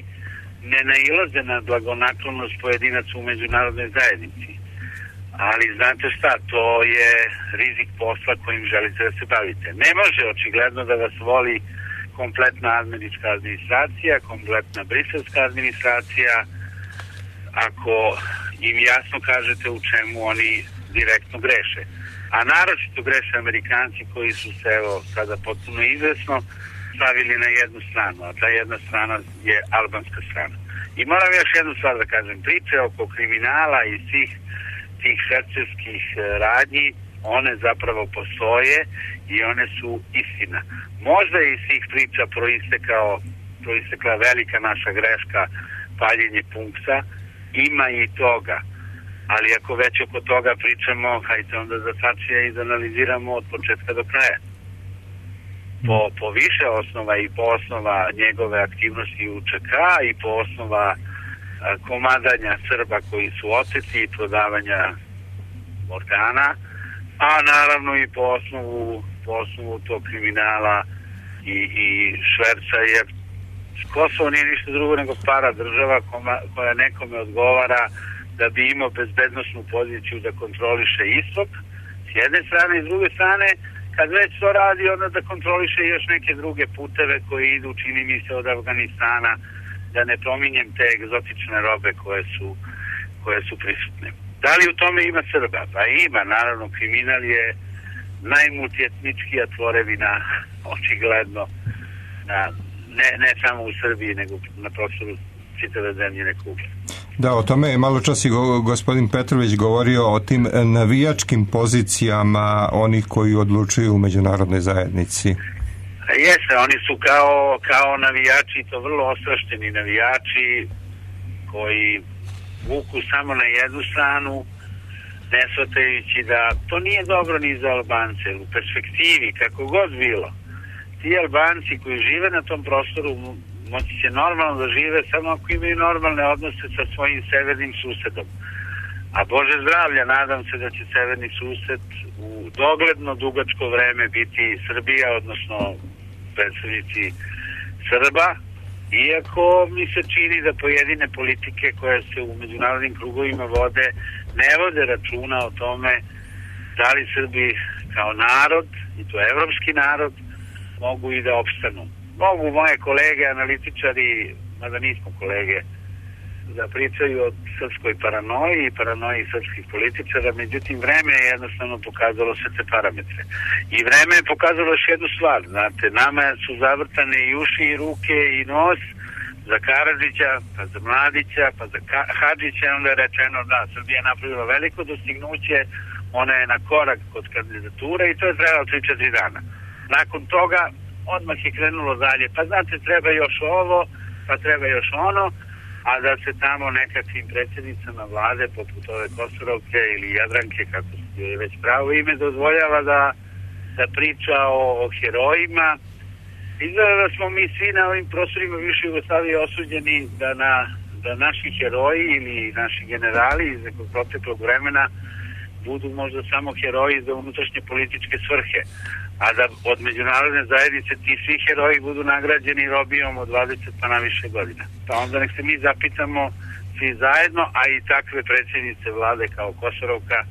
ne nailaze na blagonaklonost pojedinaca u međunarodnoj zajednici. Ali znate šta, to je rizik posla kojim želite da se bavite. Ne može očigledno da vas voli kompletna američka administracija, kompletna briselska administracija, ako im jasno kažete u čemu oni direktno greše. A naročito greše Amerikanci koji su se, evo, sada potpuno izvesno stavili na jednu stranu, a ta jedna strana je albanska strana. I moram još jednu stvar da kažem, priče oko kriminala i svih tih švercerskih radnji, one zapravo postoje i one su istina. Možda je iz svih priča proistekla velika naša greška, paljenje punksa, ima i toga. Ali ako već oko toga pričamo, hajde onda za Tačija i da analiziramo od početka do kraja. Po više osnova i po osnova njegove aktivnosti u ČK i po osnova komadanja Srba koji su oteti i prodavanja organa, a naravno i po osnovu tog kriminala i šverca, jer Kosovo nije ništa drugo nego para država koja nekome odgovara da bi imao bezbednosnu poziciju da kontroliše istok s jedne strane, i s druge strane kad već to radi, onda da kontroliše još neke druge puteve koji idu, čini mi se, od Afganistana, da ne pominjem te egzotične robe koje su prisutne. Da li u tome ima Srba? Pa ima, naravno, kriminal je najmultietničkija tvorevina, očigledno, ne samo u Srbiji, nego na prostoru čitave zemljine kugle. Da, o tome je malo čas i gospodin Petrović govorio o tim navijačkim pozicijama onih koji odlučuju u međunarodnoj zajednici. Jeste, oni su kao navijači, to vrlo ostrašteni navijači koji vuku samo na jednu stranu, ne shvatajući da to nije dobro ni za Albance. U perspektivi, kako god bilo, ti Albanci koji žive na tom prostoru moći će normalno da žive samo ako imaju normalne odnose sa svojim severnim susedom. A Bože zdravlja, nadam se da će severni sused u dogledno dugačko vreme biti Srbija, odnosno predstavnici Srba, iako mi se čini da pojedine politike koje se u međunarodnim krugovima vode ne vode računa o tome da li Srbi kao narod, i to evropski narod, mogu i da opstanu. Mogu moje kolege, analitičari, mada nismo kolege, da pričaju o srpskoj paranoji i paranoji srpskih političara, međutim vreme je jednostavno pokazalo sve te parametre. I vreme je pokazalo još jednu stvar, znate, nama su zavrtane i uši i ruke i nos za Karadžića, pa za Mladića, pa za Hadžića, onda je rečeno da Srbija je napravila veliko dostignuće, ona je na korak kod kandidature i to je trebalo 3-4 dana. Nakon toga odmah je krenulo dalje, pa znate, treba još ovo, pa treba još ono, a da se tamo nekakvim predsjednicama vlade, poput ove Kosorovke ili Jadranke, kako je već pravo ime, dozvoljava da priča o herojima. Izgleda da smo mi svi na ovim prostorima više Jugoslavije osuđeni da naši heroji ili naši generali iz nekog proteklog vremena budu možda samo heroji za unutrašnje političke svrhe, a da od međunarodne zajednice ti svi heroji budu nagrađeni robijom od 20 pa na više godina. Pa onda nek se mi zapitamo svi zajedno, a i takve predsjednice vlade kao Kosorovka,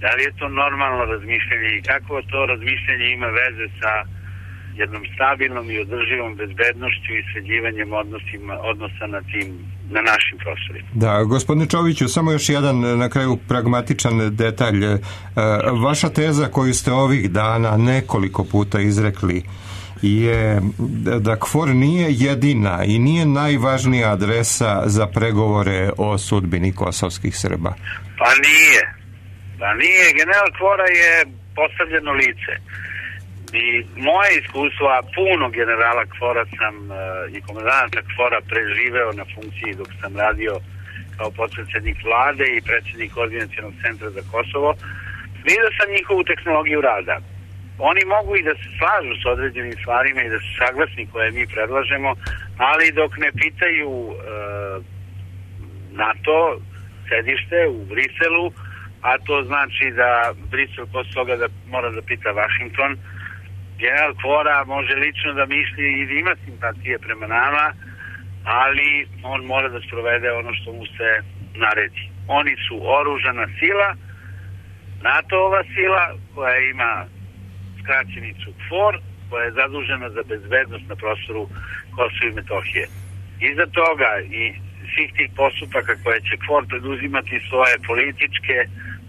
Da li je to normalno razmišljanje i kako to razmišljanje ima veze sa jednom stabilnom i održivom bezbednošću i sređivanjem odnosa na našim prostorima. Da, gospodine Čoviću, samo još jedan na kraju pragmatičan detalj. Vaša teza koju ste ovih dana nekoliko puta izrekli je da KFOR nije jedina i nije najvažnija adresa za pregovore o sudbini kosovskih Srba. Pa nije. General KFOR-a je postavljeno lice. I moje iskustvo, a puno generala KFOR-a sam i komandanta KFOR-a preživeo na funkciji dok sam radio kao potpredsednik vlade i predsednik Koordinacionog centra za Kosovo, vidio sam njihovu tehnologiju rada. Oni mogu i da se slažu s određenim stvarima i da su saglasni koje mi predlažemo, ali dok ne pitaju NATO sedište u Briselu, a to znači da Brisel posle toga da mora da pita Vašington, general KFOR-a može lično da misli i da ima simpatije prema nama, ali on mora da sprovede ono što mu se naredi. Oni su oružana sila, NATO-ova sila koja ima skraćenicu KFOR, koja je zadužena za bezbednost na prostoru Kosova i Metohije. Iza toga i svih tih postupaka koje će KFOR preduzimati svoje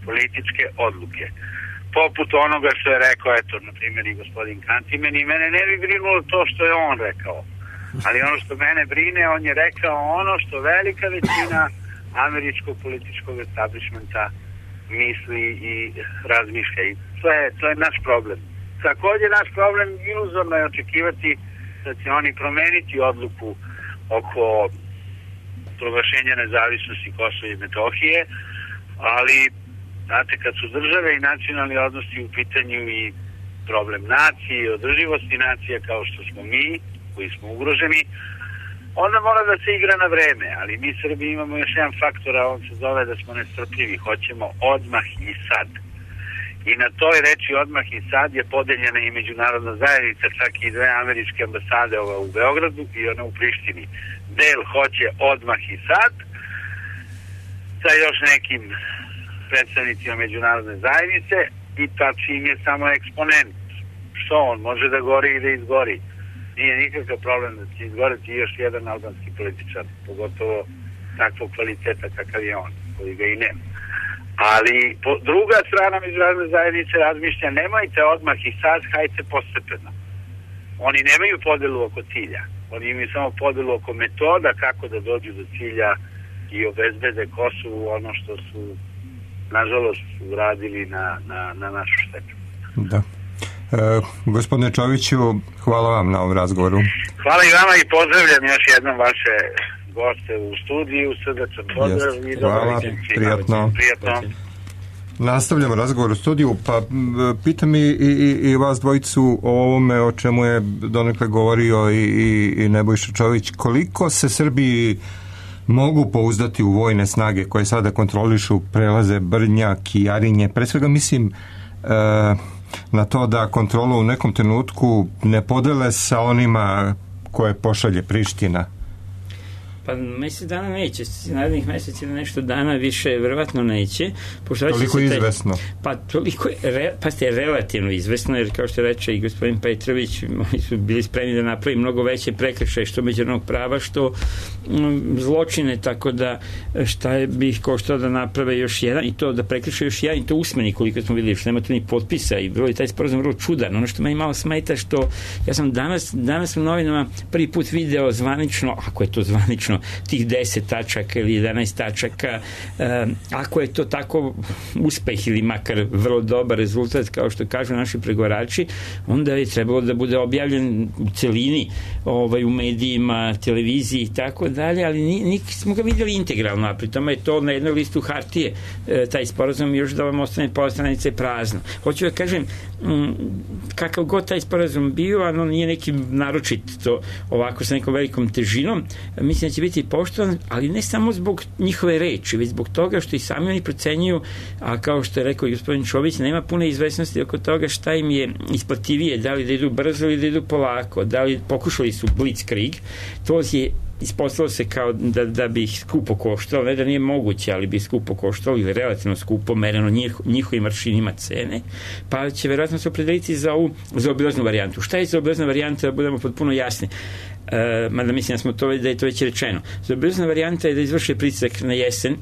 političke odluke. Poput onoga što je rekao, eto, na primjer i gospodin Kantimen, i mene ne bi brinulo to što je on rekao. Ali ono što mene brine, on je rekao ono što velika većina američkog političkog establishmenta misli i razmišlja. I to je naš problem. Također naš problem iluzorno je očekivati da će oni promeniti odluku oko proglašenja nezavisnosti Kosova i Metohije, ali znate, kad su države i nacionalni odnosi u pitanju i problem nacije i održivosti nacija kao što smo mi, koji smo ugroženi, onda mora da se igra na vreme, ali mi Srbi imamo još jedan faktor, a on se zove da smo nestrpljivi, hoćemo odmah i sad. I na toj reči odmah i sad je podeljena i međunarodna zajednica, čak i 2 američke ambasade, ova u Beogradu i ona u Prištini. Del hoće odmah i sad, sa još nekim predstavnicima međunarodne zajednice, i ta čim je samo eksponent. Što on može da gori i da izgori? Nije nikakav problem da će izgoreti još jedan albanski političar, pogotovo takvog kvaliteta kakav je on, koji ga i nema. Ali druga strana međunarodne zajednice razmišlja, nemojte odmah i sad, hajte postepeno. Oni nemaju podelu oko cilja, oni imaju samo podelu oko metoda kako da dođu do cilja i obezbede Kosovu ono što su nažalost uradili na našu štetu. Da. Gospodine Čoviću, hvala vam na ovom razgovoru. Hvala i vama i pozdravljam još jednom vaše goste u studiju, srdačan pozdrav i hvala, prijatno. Nastavljamo razgovor u studiju, pa pitam i vas dvojicu o ovome o čemu je donekle govorio i Nebojša Čović. Koliko se Srbiji mogu pouzdati u vojne snage koje sada kontrolišu prelaze Brnjak i Jarinje? Pre svega mislim na to da kontrolu u nekom trenutku ne podele sa onima koje pošalje Priština. Pa mesec dana neće, narednih meseci na nešto dana više verovatno neće. Toliko je izvesno? Pa toliko je, relativno izvesno, jer kao što reče i gospodin Petrović, oni su bili spremni da napravi mnogo veće prekršaje, što međunarodnog prava, što zločine, tako da šta bih koštao da naprave još jedan, i to da prekršaju još jedan, i to usmeni, koliko smo vidjeli, što nema tu ni potpisa, i bilo je taj sporazum vrlo čudan. Ono što meni malo smeta, što ja sam danas u novinama prvi put video zvanično, ako je to zvanično, tih 10 tačaka ili 11 tačaka, ako je to tako uspeh ili makar vrlo dobar rezultat, kao što kažu naši pregovarači, onda je trebalo da bude objavljen u celini u medijima, televiziji i tako dalje, ali nismo ga vidjeli integralno, a pri tome je to na jednoj listu hartije, taj sporazum, još da vam ostane pola stranice prazno. Hoću da kažem, kakav god taj sporazum bio, ono nije neki naročit to ovako sa nekom velikom težinom, mislim da će biti poštovan, ali ne samo zbog njihove reči, već zbog toga što i sami oni procenjuju, a kao što je rekao gospodin Čović, nema pune izvesnosti oko toga šta im je isplativije, da li da idu brzo ili da idu polako, da li pokušali su blitzkrieg, to je ispostavilo se kao da bi ih skupo koštalo, ne da nije moguće, ali bi skupo koštalo ili relativno skupo mereno njihovim aršinima cene, pa će verovatno se opredeliti za ovu zaobilaznu varijantu. Šta je zaobilazna varijanta, da budemo potpuno jasni? Mada mislim da je to već rečeno. Zaobilazna varijanta je da izvrše pritisak na jesen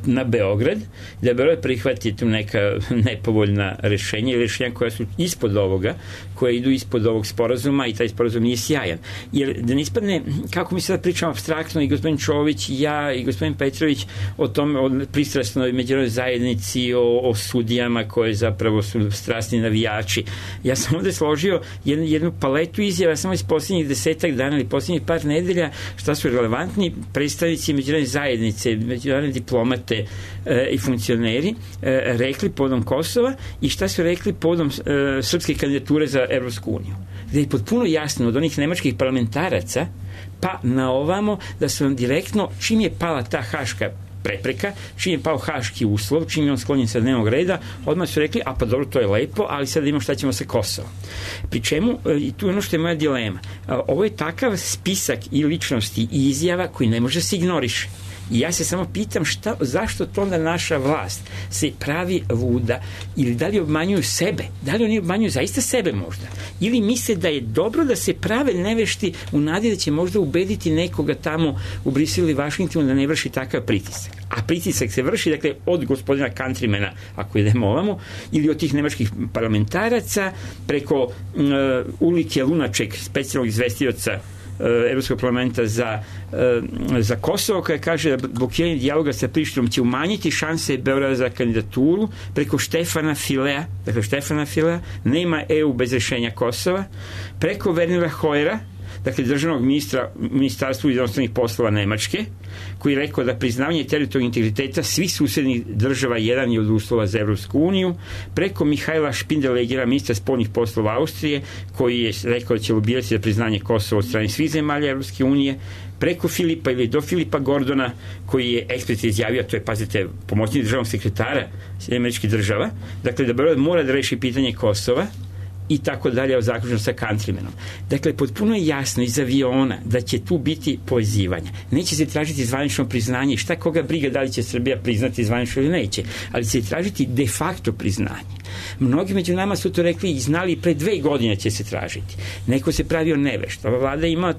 na Beograd, da Beograd prihvati tu neka nepovoljna rešenja ili rešenja koja su ispod ovoga, koje idu ispod ovog sporazuma i taj sporazum nije sjajan. Jer da ne ispadne, kako mi sada pričamo apstraktno i gospodin Čović i ja i gospodin Petrović o tome, o pristrasnoj međunarodnoj zajednici, o sudijama koje zapravo su strasni navijači. Ja sam ovde složio jednu paletu izjava samo iz posljednjih 10 dana ili posljednjih par nedelja šta su relevantni predstavnici međunarodne zajednice, međunarodne diplomate i funkcioneri rekli povodom Kosova i šta su rekli povodom srpske kandidature za Evropsku uniju. Gde je potpuno jasno od onih nemačkih parlamentaraca pa na ovamo da su vam direktno, čim je pala ta haška prepreka, čim je pao haški uslov, čim je on sklonjen sa dnevnog reda, odmah su rekli, a pa dobro, to je lepo, ali sad imamo šta ćemo sa Kosovom. Pri čemu, i tu je ono što je moja dilema, ovo je takav spisak i ličnosti i izjava koji ne može se ignoriše. I ja se samo pitam zašto to onda naša vlast se pravi luda ili da li obmanjuju sebe, da li oni obmanjuju zaista sebe možda ili misle da je dobro da se prave nevešti u nadi da će možda ubediti nekoga tamo u Briselu ili Vašingtonu da ne vrši takav pritisak. A pritisak se vrši, dakle, od gospodina Countrymana, ako idemo ovamo, ili od tih nemačkih parlamentaraca, preko Ulrike Lunaček, specijalnog izvestioca Evropskog parlamenta za Kosovo, koja kaže da blokiranje dijaloga sa Prištinom će umanjiti šanse Beograda za kandidaturu, preko Štefana Filea, dakle Štefana Filea, nema EU bez rešenja Kosova, preko Wernera Hoyera, dakle državnog ministarstva inostranih poslova Nemačke, koji je rekao da priznavanje teritorijalnog integriteta svih susednih država jedan je od uslova za Evropsku uniju, preko Mihajla Špindelegera, ministra spoljnih poslova Austrije, koji je rekao da će lobirati za priznanje Kosova od strane svih zemalja Evropske unije, preko Filipa ili do Filipa Gordona, koji je eksplicitno izjavio, to je, pazite, pomoćnik državnog sekretara američkih država, dakle da Beograd mora da reši pitanje Kosova i tako dalje, zaključno sa Countrymanom. Dakle, potpuno je jasno iz aviona da će tu biti povezivanja. Neće se tražiti zvanično priznanje, šta koga briga da li će Srbija priznati zvanično ili neće, ali će se tražiti de facto priznanje. Mnogi među nama su to rekli i znali pre 2 godine će se tražiti. Neko se pravio nevešt. Ova vlada ima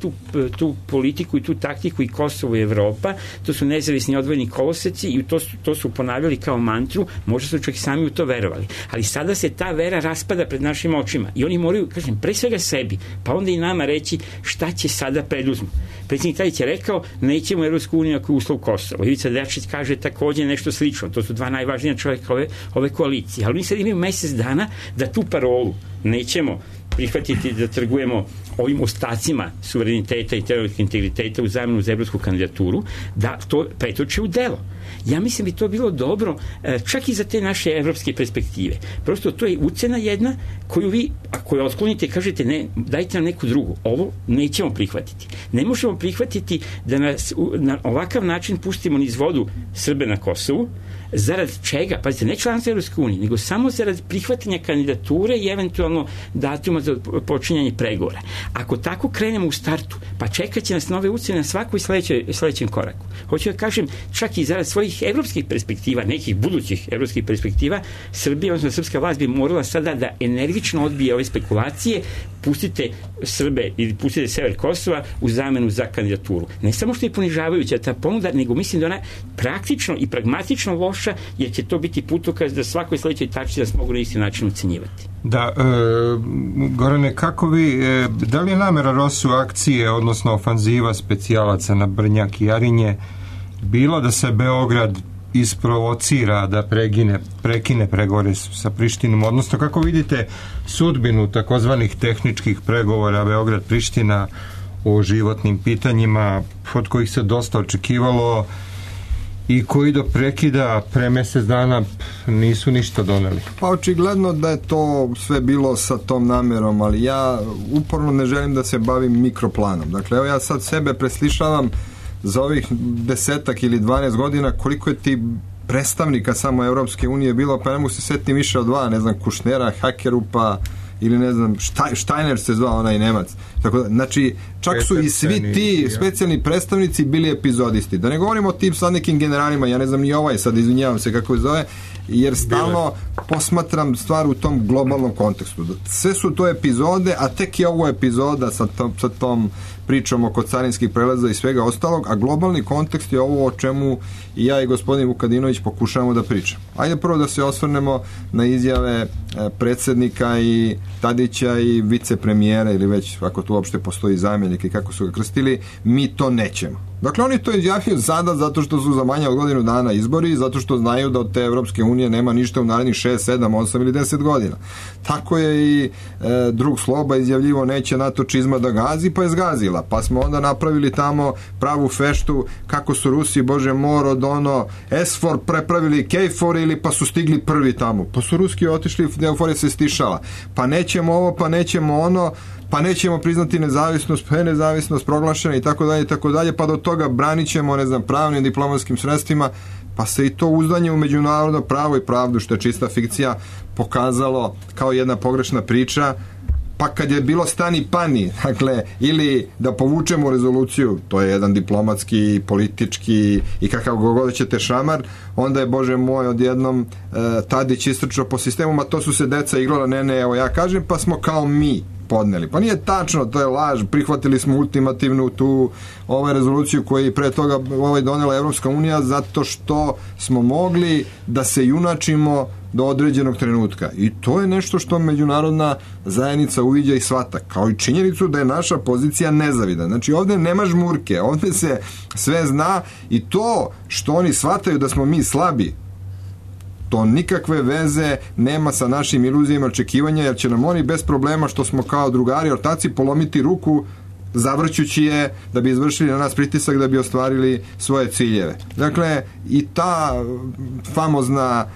tu politiku i tu taktiku i Kosovo i Evropa, to su nezavisni odvojeni koloseci i to su ponavljali kao mantru, možda su čak sami u to verovali. Ali sada se ta vera raspada pred našim očima i oni moraju, kažem, pre svega sebi, pa onda i nama reći šta će sada preduzmu. Predsjednik Tadić je rekao, nećemo Evropsku uniju ako je uslov Kosovo. Ivica Dačić kaže takođe nešto slično. To su 2 najvažnija čovjeka ove koalicije. Ali oni sad imaju mesec dana da tu parolu nećemo prihvatiti da trgujemo ovim ostacima suvereniteta i teritorijalnog integriteta u zamenu za evropsku kandidaturu, da to pretoče u delo. Ja mislim bi to bilo dobro čak i za te naše evropske perspektive. Prosto to je ucena jedna koju vi, ako je otklonite, kažete ne, dajte nam neku drugu. Ovo nećemo prihvatiti. Ne možemo prihvatiti da nas na ovakav način pustimo niz vodu Srbe na Kosovu, zarad čega? Pazite, ne članstvo Evropske unije, nego samo zarad prihvatanja kandidature i eventualno datuma za počinjanje pregovora. Ako tako krenemo u startu, pa čekat će nas nove ucene na svakoj sledećem koraku. Hoću da kažem, čak i zarad svojih evropskih perspektiva, nekih budućih evropskih perspektiva, Srbija, odnosno srpska vlast bi morala sada da energično odbije ove spekulacije, pustite Srbe ili pustite sever Kosova u zamenu za kandidaturu. Ne samo što je ponižavajuća ta ponuda, nego mislim da ona praktično i pragmatično loša, jer će to biti putokaz da svakoj sledećoj tačci da se mogu na isti način ucenjivati. Da, Gorane, kako vi, da li je namera Rosu akcije, odnosno ofanziva specijalaca na Brnjak i Jarinje, bilo da se Beograd isprovocira da prekine pregovore sa Prištinom, odnosno kako vidite sudbinu takozvanih tehničkih pregovora Beograd-Priština o životnim pitanjima od kojih se dosta očekivalo i koji do prekida pre mesec dana nisu ništa doneli? Pa očigledno da je to sve bilo sa tom namerom, ali ja uporno ne želim da se bavim mikroplanom. Dakle, evo ja sad sebe preslišavam za ovih 10 ili 12 godina koliko je ti predstavnika samo Evropske unije bilo, pa ne mogu se setiti više od 2, ne znam, Kušnera, Hakerupa, ili ne znam, Steiner se zvao onaj Nemac. Tako da, znači, čak su i svi ti specijalni predstavnici bili epizodisti. Da ne govorimo o tim sad nekim generalima, ja ne znam ni ovaj sad, izvinjavam se kako je zove, jer stalno posmatram stvar u tom globalnom kontekstu. Sve su to epizode, a tek je ovo epizoda sa tom pričom oko carinskih prelaza i svega ostalog, a globalni kontekst je ovo o čemu i ja i gospodin Vukadinović pokušavamo da pričamo. Ajde prvo da se osvrnemo na izjave predsjednika i Tadića i vicepremijera, ili već ako tu uopšte postoji zamjenik i kako su ga krstili, mi to nećemo. Dakle, oni to izjavljaju sada zato što su za manje od godinu dana izbori, zato što znaju da od te Evropske unije nema ništa u narednih 6, 7, 8 ili 10 godina. Tako je i drug Sloba izjavljivo neće NATO čizma da gazi, pa je zgazila. Pa smo onda napravili tamo pravu feštu kako su Rusi, Bože mor, od ono S4 prepravili K4 ili pa su stigli prvi tamo. Pa su Ruski otišli, euforija se stišala. Pa nećemo ovo, pa nećemo ono, pa nećemo priznati nezavisnost, pa je nezavisnost proglašena i tako dalje, pa do toga branit ćemo, ne znam, pravnim diplomatskim sredstvima, pa se i to uzdanje u međunarodno pravo i pravdu, što je čista fikcija, pokazalo kao jedna pogrešna priča. Pa kad je bilo stani pani, dakle, ili da povučemo rezoluciju, to je jedan diplomatski, politički i kakav god ćete šamar, onda je, Bože moj, odjednom Tadić istrčao po sistemu, ma to su se deca igrala, ne, evo ja kažem, pa smo kao mi podneli. Pa nije tačno, to je laž, prihvatili smo ultimativnu tu rezoluciju koju je pre toga donela Evropska unija zato što smo mogli da se junačimo do određenog trenutka. I to je nešto što međunarodna zajednica uviđa i shvata, kao i činjenicu da je naša pozicija nezavidna. Znači ovde nema žmurke, ovde se sve zna i to što oni shvataju da smo mi slabi, to nikakve veze nema sa našim iluzijama očekivanja, jer će nam oni bez problema što smo kao drugari ortaci polomiti ruku zavrćući je da bi izvršili na nas pritisak da bi ostvarili svoje ciljeve. Dakle, i ta famozna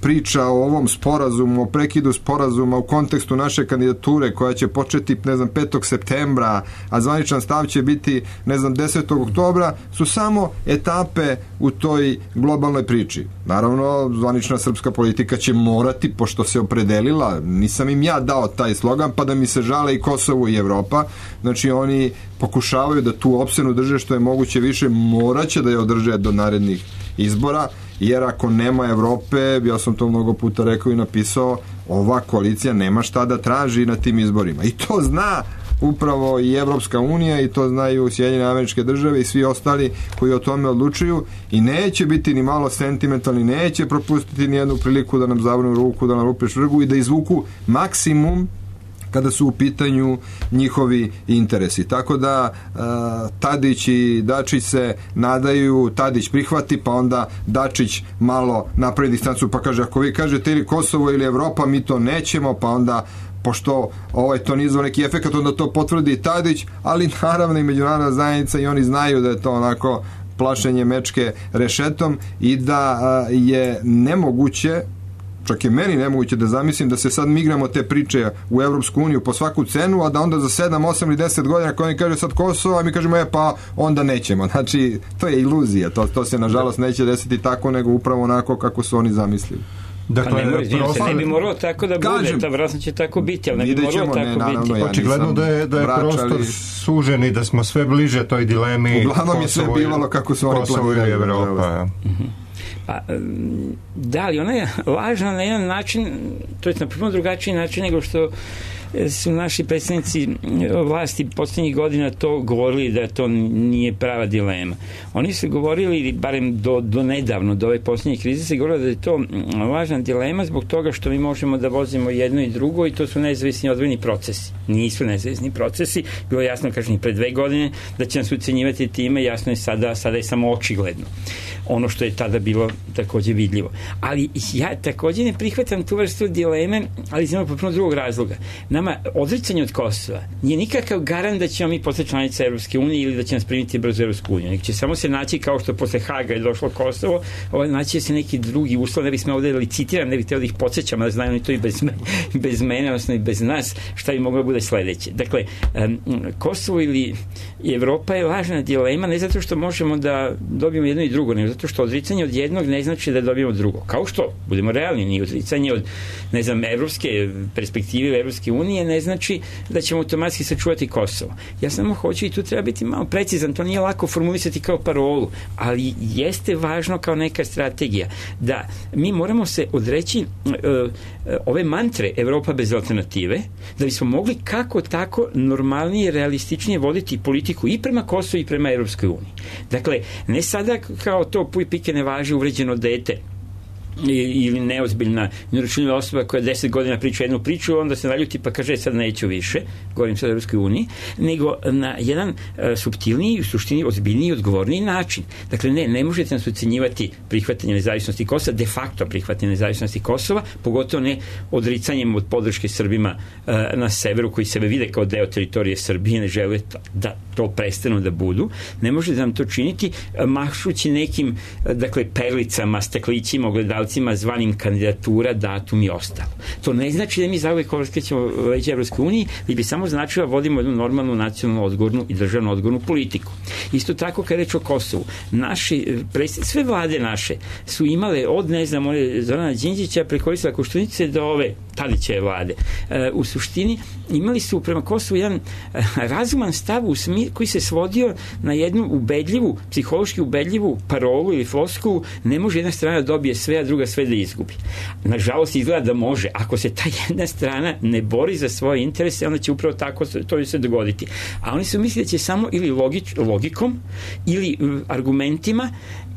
priča o ovom sporazumu, o prekidu sporazuma u kontekstu naše kandidature koja će početi, ne znam, 5. septembra, a zvaničan stav će biti, ne znam, 10. oktobra, su samo etape u toj globalnoj priči. Naravno, zvanična srpska politika će morati, pošto se opredelila, nisam im ja dao taj slogan, pa da mi se žale i Kosovo i Evropa, znači oni pokušavaju da tu opsenu drže što je moguće više, moraće da je održe do narednih izbora, jer ako nema Evrope, ja sam to mnogo puta rekao i napisao, ova koalicija nema šta da traži na tim izborima. I to zna upravo i Evropska unija i to znaju Sjedinjene Američke Države i svi ostali koji o tome odlučuju i neće biti ni malo sentimentalni, neće propustiti ni jednu priliku da nam zavrnu ruku, da nam rupe švrgu i da izvuku maksimum kada su u pitanju njihovi interesi. Tako da Tadić i Dačić se nadaju, Tadić prihvati, pa onda Dačić malo napravi distancu pa kaže, ako vi kažete ili Kosovo ili Evropa, mi to nećemo, pa onda pošto to nije zvao neki efekat, onda to potvrdi Tadić, ali naravno i međunarodna zajednica i oni znaju da je to onako plašenje mečke rešetom i da je nemoguće, čak je meni nemoguće da zamislim da se sad migramo te priče u Evropsku uniju po svaku cenu, a da onda za 7, 8 ili 10 godina ako oni kaže sad Kosovo, a mi kažemo pa onda nećemo. Znači, to je iluzija. To se nažalost neće desiti tako, nego upravo onako kako su oni zamislili. Dakle, ne bi moralo tako da bude, to vjerojatno će tako biti, ali ne bi moralo tako biti. Očigledno da je prostor sužen i da smo sve bliže toj dilemi. Uglavnom je sve bivalo kako su oni planirali Evropa. Pa, da, ali ona je lažna na jedan način, to je na prvo drugačiji način nego što su naši predstavnici vlasti posljednjih godina to govorili da to nije prava dilema. Oni su govorili, barem do nedavno, do ove posljednje krize, se govorili da je to lažna dilema zbog toga što mi možemo da vozimo jedno i drugo i to su nezavisni odvojeni procesi. Nisu nezavisni procesi. Bilo je jasno, kažem, pre 2 godine da će nas ucenjivati time, jasno je sada je samo očigledno. Ono što je tada bilo takođe vidljivo. Ali ja takođe ne prihvatam tu vrstu dileme, ali iz jednog potpuno drugog razloga. Nama nama odricanje od Kosova nije nikakav garant da ćemo mi postati članica Evropske unije ili da će nas primiti brzo Evropsku uniju. Nek će samo se naći kao što posle Haga je došlo Kosovo, naći se neki drugi uslov, ne bih smeo ovde licitiram, ne bih teo da ih podsjećam, da znaju oni to i bez mene, odnosno i bez nas, šta bi moglo bude sledeće. Dakle, Kosovo ili Evropa je važna dilema, ne zato što možemo da dobijemo jedno i drugo, nego zato što odricanje od jednog ne znači da dobijemo drugo. Kao što, budemo realni, ni odricanje od, ne znam, evropske perspektive Evropske unije ne znači da ćemo automatski sačuvati Kosovo. Ja samo hoću i tu treba biti malo precizan, to nije lako formulisati kao parolu, ali jeste važno kao neka strategija da mi moramo se odreći ove mantre Evropa bez alternative, da bismo mogli kako tako normalnije, realističnije voditi politiku i prema Kosovu i prema Evropskoj uniji. Dakle, ne sada kao to puj pike ne važi uvređeno dete ili neozbiljna neuračunljiva osoba koja 10 godina priča jednu priču, onda se naljuti pa kaže sad neću više, govorim sad o Evropskoj uniji, nego na jedan suptilniji, u suštini ozbiljniji i odgovorniji način. Dakle, ne možete nas ucenjivati prihvatanje nezavisnosti Kosova, de facto prihvatanje nezavisnosti Kosova, pogotovo ne odricanjem od podrške Srbima na severu, koji sebe vide kao deo teritorije Srbije, ne žele da to prestanu da budu. Ne možete nam to činiti mahšući nekim, dakle, perlicama, staklićima, ogledalcima, zvanim kandidatura, datum i ostalo. To ne znači da mi zauvek okrećemo već Evropskoj uniji, li bi samo značilo vodimo jednu normalnu nacionalnu odgovornu i državnu odgovornu politiku. Isto tako kad reč o Kosovu, sve vlade naše su imale od, ne znam, Zorana Đinđića preko Vojislava Koštunice do ove Tadićeve vlade. U suštini imali su prema Kosovu jedan razuman stav koji se svodio na jednu ubedljivu, psihološki ubedljivu parolu ili floskulu, ne može jedna strana da dobije sve, a druga sve da izgubi. Nažalost, izgleda da može. Ako se ta jedna strana ne bori za svoje interese, onda će upravo tako to se dogoditi. A oni su mislili da će samo ili logikom ili argumentima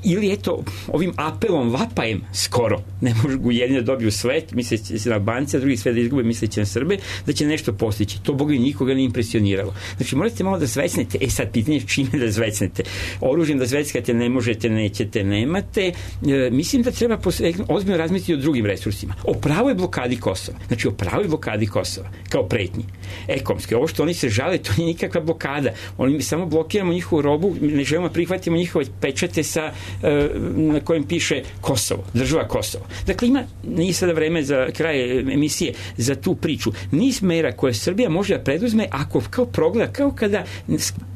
ili eto ovim apelom, vapajem skoro, ne mogu jedni da dobiju svet, misleći se na Albance, a drugi sve da izgube, misleći na Srbe, da će nešto postići. To Boga i nikoga ne impresioniralo. Znači morate malo da zvecnete, sad pitanje čime da zvecnete. Oružjem da zveckate ne možete, nećete, nemate. Mislim da treba ozbiljno razmisliti o drugim resursima. O pravoj blokadi Kosova. Znači o pravoj blokadi Kosova, kao pretnji. Ekonomske. Ovo što oni se žale, to nije nikakva blokada. Oni samo blokiramo njihovu robu, ne želimo prihvatimo njihove pečate na kojem piše Kosovo, država Kosovo. Dakle, nije sada vreme za kraj emisije za tu priču. Niz mera koje Srbija može da preduzme ako kao progleda, kao kada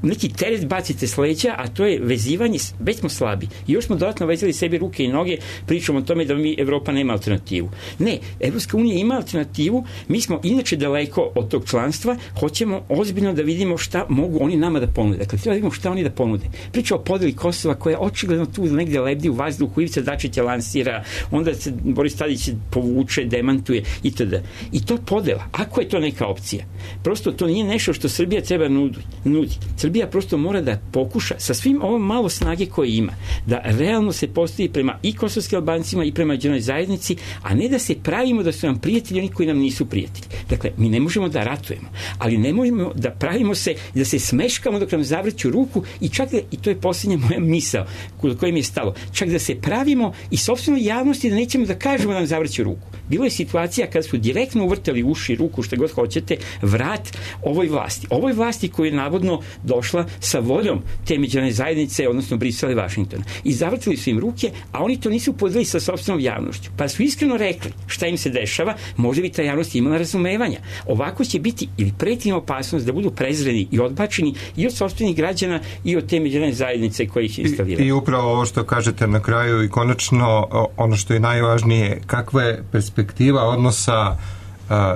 neki teret bacite s leđa, a to je vezivanje, već smo slabi. I još smo dodatno vezali sebi ruke i noge, pričamo o tome da Evropa nema alternativu. Ne, Evropska unija ima alternativu, mi smo inače daleko od tog članstva, hoćemo ozbiljno da vidimo šta mogu oni nama da ponude. Dakle, treba da vidimo šta oni da ponude. Priča o podeli Kosova koja je očigledno tu negde lebdi u vazduhu, Ivica Dačić je lansira, onda se Boris Tadić povuče, demantuje itd. I to podela. Ako je to neka opcija, prosto to nije nešto što Srbija treba nudi. Srbija prosto mora da pokuša sa svim ovom malo snage koje ima, da realno se postavi prema i kosovskim Albancima i prema međunarodnoj zajednici, a ne da se pravimo da su nam prijatelji oni koji nam nisu prijatelji. Dakle, mi ne možemo da ratujemo, ali ne možemo da pravimo se, da se smeškamo dok nam zavrću ruku i čak da, i to je posljednja moja misao kod koje mi je stalo, čak da se pravimo i sopstvenoj javnosti da nećemo da kažemo da nam zavrću ruku. Bilo je situacija kada su direktno uvrtali uši, ruku, što god hoćete, vrat ovoj vlasti. Ovoj vlasti koja je navodno došla sa voljom te međunarodne zajednice, odnosno Brisela i Vašingtona. I zavrtili su im ruke, a oni to nisu podelili sa sopstvenom javnošću. Pa su iskreno rekli šta im se dešava, možda bi ta javnost imala razumevanja. Ovako će biti ili preti opasnost da budu prezreni i odbačeni i od sopstvenih građana i od te međunarodne zajednice koje ih instaliraju. I upravo ovo što kažete na kraju i konačno ono što je najvažnije, kakva je perspektiva odnosa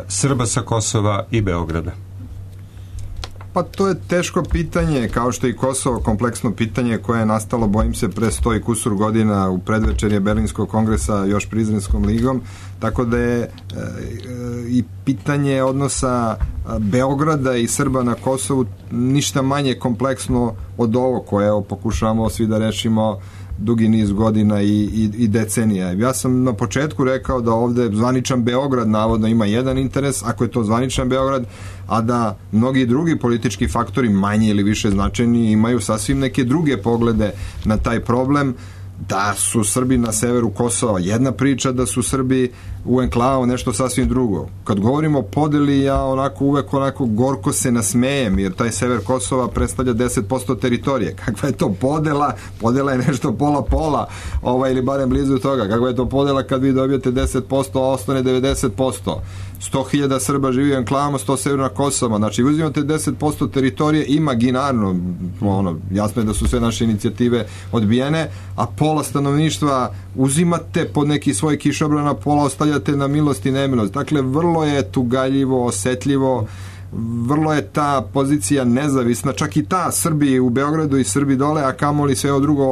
Srba sa Kosova i Beograda? Pa to je teško pitanje, kao što i Kosovo kompleksno pitanje koje je nastalo, bojim se, pre 100 i kusur godina u predvečerje Berlinskog kongresa još Prizrenskom ligom, tako da je i pitanje odnosa Beograda i Srba na Kosovu ništa manje kompleksno od ovo koje pokušavamo svi da rešimo dugi niz godina i decenija. Ja sam na početku rekao da ovde zvaničan Beograd navodno ima jedan interes, ako je to zvaničan Beograd, a da mnogi drugi politički faktori, manje ili više značajni, imaju sasvim neke druge poglede na taj problem. da su Srbi na severu Kosova jedna priča, da su Srbi u enklavu nešto sasvim drugo. Kad govorimo o podeli, ja uvek gorko se nasmejem, jer taj sever Kosova predstavlja 10% teritorije. Kakva je to podela? Podela je nešto pola-pola, ili barem blizu toga. Kakva je to podela kad vi dobijete 10%, a ostane 90%? 100.000 Srba živi u enklavama, 100 severna Kosova. Znači, uzimate 10% teritorije imaginarno, jasno je da su sve naše inicijative odbijene, a pola stanovništva uzimate pod neki svoj kišobran, a pola ostavljate na milost i nemilost. Dakle, vrlo je tugaljivo, osetljivo, vrlo je ta pozicija nezavisna, čak i ta Srbi u Beogradu i Srbi dole, a kamoli sve ovo drugo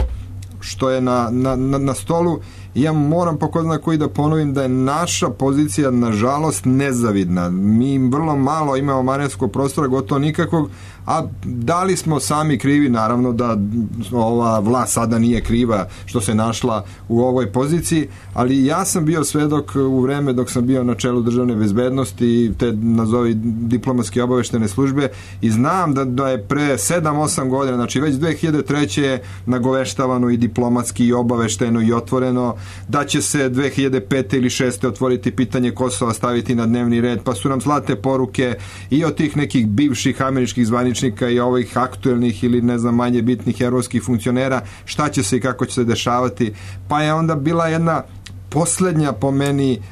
što je na stolu. Ja moram po ko zna koji da ponovim da je naša pozicija nažalost nezavidna. Mi vrlo malo imamo manevarskog prostora, gotovo nikakvog, a da li smo sami krivi? Naravno da ova vlast sada nije kriva što se našla u ovoj poziciji, ali ja sam bio svedok u vreme dok sam bio na čelu državne bezbednosti i te nazovi diplomatske obaveštene službe i znam da je pre 7-8 godina, znači već 2003. je nagoveštavano i diplomatski i obavešteno i otvoreno da će se 2005. ili 2006. otvoriti pitanje Kosova, staviti na dnevni red, pa su nam zlate poruke i od tih nekih bivših američkih zvaničnika i ovih aktuelnih ili ne znam manje bitnih evropskih funkcionera, šta će se i kako će se dešavati. Pa je onda bila jedna poslednja po meni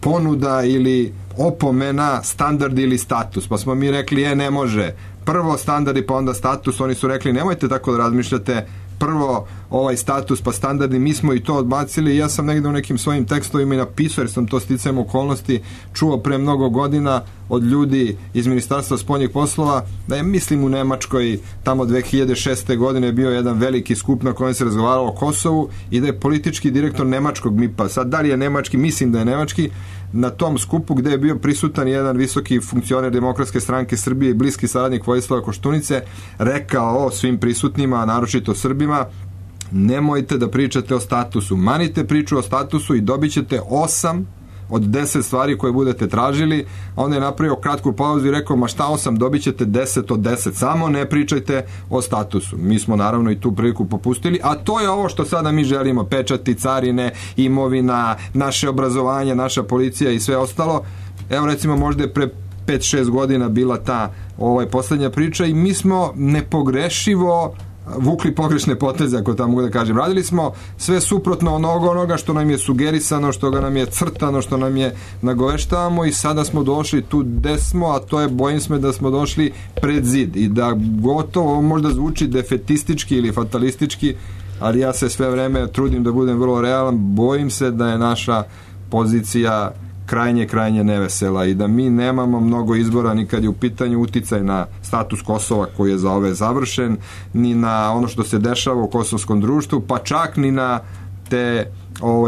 ponuda ili opomena standard ili status, pa smo mi rekli ne može, prvo standardi pa onda status. Oni su rekli nemojte tako da razmišljate, prvo ovaj status pa standardni, mi smo i to odbacili i ja sam negde u nekim svojim tekstovima i napisao, jer sam to sticajem okolnosti čuo pre mnogo godina od ljudi iz Ministarstva spoljnih poslova, da je mislim u Nemačkoj tamo 2006. godine bio jedan veliki skup na kojem se razgovaralo o Kosovu i da je politički direktor nemačkog MIP-a, sad da li je nemački, mislim da je nemački, na tom skupu gde je bio prisutan jedan visoki funkcioner Demokratske stranke Srbije i bliski saradnik Vojislava Koštunice, rekao svim prisutnima, a naročito Srbima, nemojte da pričate o statusu, manite priču o statusu i dobit ćete 8 od 10 stvari koje budete tražili. A onda je napravio kratku pauzu i rekao, ma šta 8, dobit ćete 10 od 10, samo ne pričajte o statusu. Mi smo naravno i tu priliku popustili, a to je ovo što sada mi želimo, pečati, carine, imovina, naše obrazovanje, naša policija i sve ostalo. Evo recimo možda je pre 5-6 godina bila ta poslednja priča i mi smo nepogrešivo vukli pogrešne poteze, ako tamo mogu da kažem. Radili smo sve suprotno onoga što nam je sugerisano, što ga nam je crtano, što nam je nagoveštavamo i sada smo došli tu gde smo, a to je, bojim se da smo došli pred zid i da gotovo možda zvuči defetistički ili fatalistički, ali ja se sve vreme trudim da budem vrlo realan, bojim se da je naša pozicija krajnje nevesela i da mi nemamo mnogo izbora ni kad je u pitanju uticaj na status Kosova koji je za ove završen, ni na ono što se dešava u kosovskom društvu, pa čak ni na te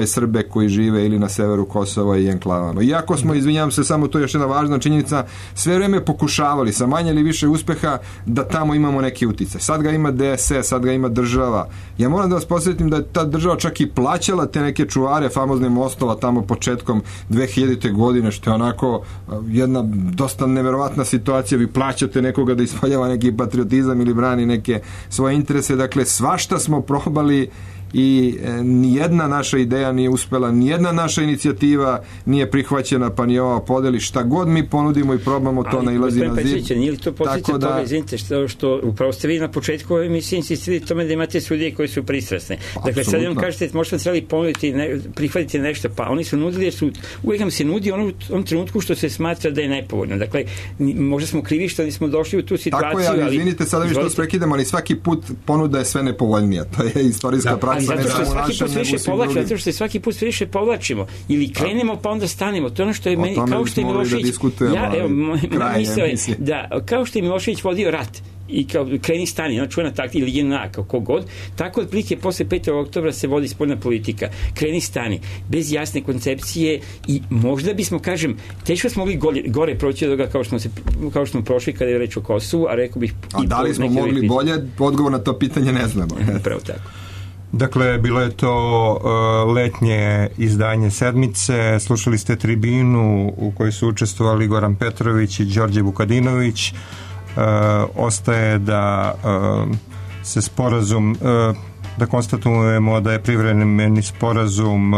Srbe koji žive ili na severu Kosova i enklavama. Iako smo, izvinjavam se, samo to je još jedna važna činjenica, sve vreme pokušavali sa manje ili više uspeha da tamo imamo neki uticaj. Sad ga ima DSS, sad ga ima država. Ja moram da vas posjetim da je ta država čak i plaćala te neke čuvare famozne mostova tamo početkom 2000. godine, što je onako jedna dosta neverovatna situacija. Vi plaćate nekoga da ispoljava neki patriotizam ili brani neke svoje interese. Dakle, svašta smo probali i nijedna naša ideja nije uspela, nijedna naša inicijativa nije prihvaćena, pa ni ova podeli. Šta god mi ponudimo i probamo, to nailazi na zid. Nije li to posljedica toga, izvinite, što upravo ste vi na početku ove emisije insistirali tome da imate sudije koji su pristrasne. Dakle, sad jednom kažete, možda trebali ponuditi, prihvatiti nešto, pa oni su nudili, uvijek nam se nudi onom trenutku što se smatra da je nepovoljno. Dakle, možda smo krivi što nismo došli u tu situaciju. Tako je, ali izvinite, sada vi što prekidamo, ali svaki put ponuda je sve nepovoljnija. To je istorijska praksa. Zato što se svaki put više povlačimo ili krenemo pa onda stanemo. To je ono što je meni, kao što je Milošević, kao što je Milošević vodio rat i kao kreni stani, ona čuvena taktika ili JNA, kako god, tako otprilike posle 5. oktobra se vodi spoljna politika. Kreni stani, bez jasne koncepcije i možda bismo, kažem, teško smo mogli gore proći od toga kao što smo prošli kada je reč o Kosovu, a rekao bih... A da li smo mogli bolje? Odgovor na to pitanje ne znamo. Pravo tako. Dakle, bilo je to letnje izdanje Sedmice, slušali ste tribinu u kojoj su učestvovali Goran Petrović i Đorđe Vukadinović. Ostaje da se sporazum Da konstatujemo da je privremeni sporazum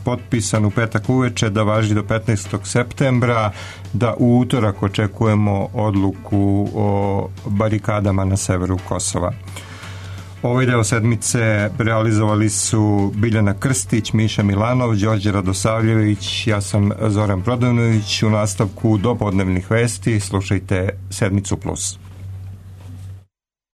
potpisan u petak uveče, da važi do 15. septembra, da u utorak očekujemo odluku o barikadama na severu Kosova. Ovaj deo sedmice realizovali su Biljana Krstić, Miša Milanov, Đorđe Radosavljević, ja sam Zoran Prodanović. U nastavku dopodnevnih vesti slušajte Sedmicu plus.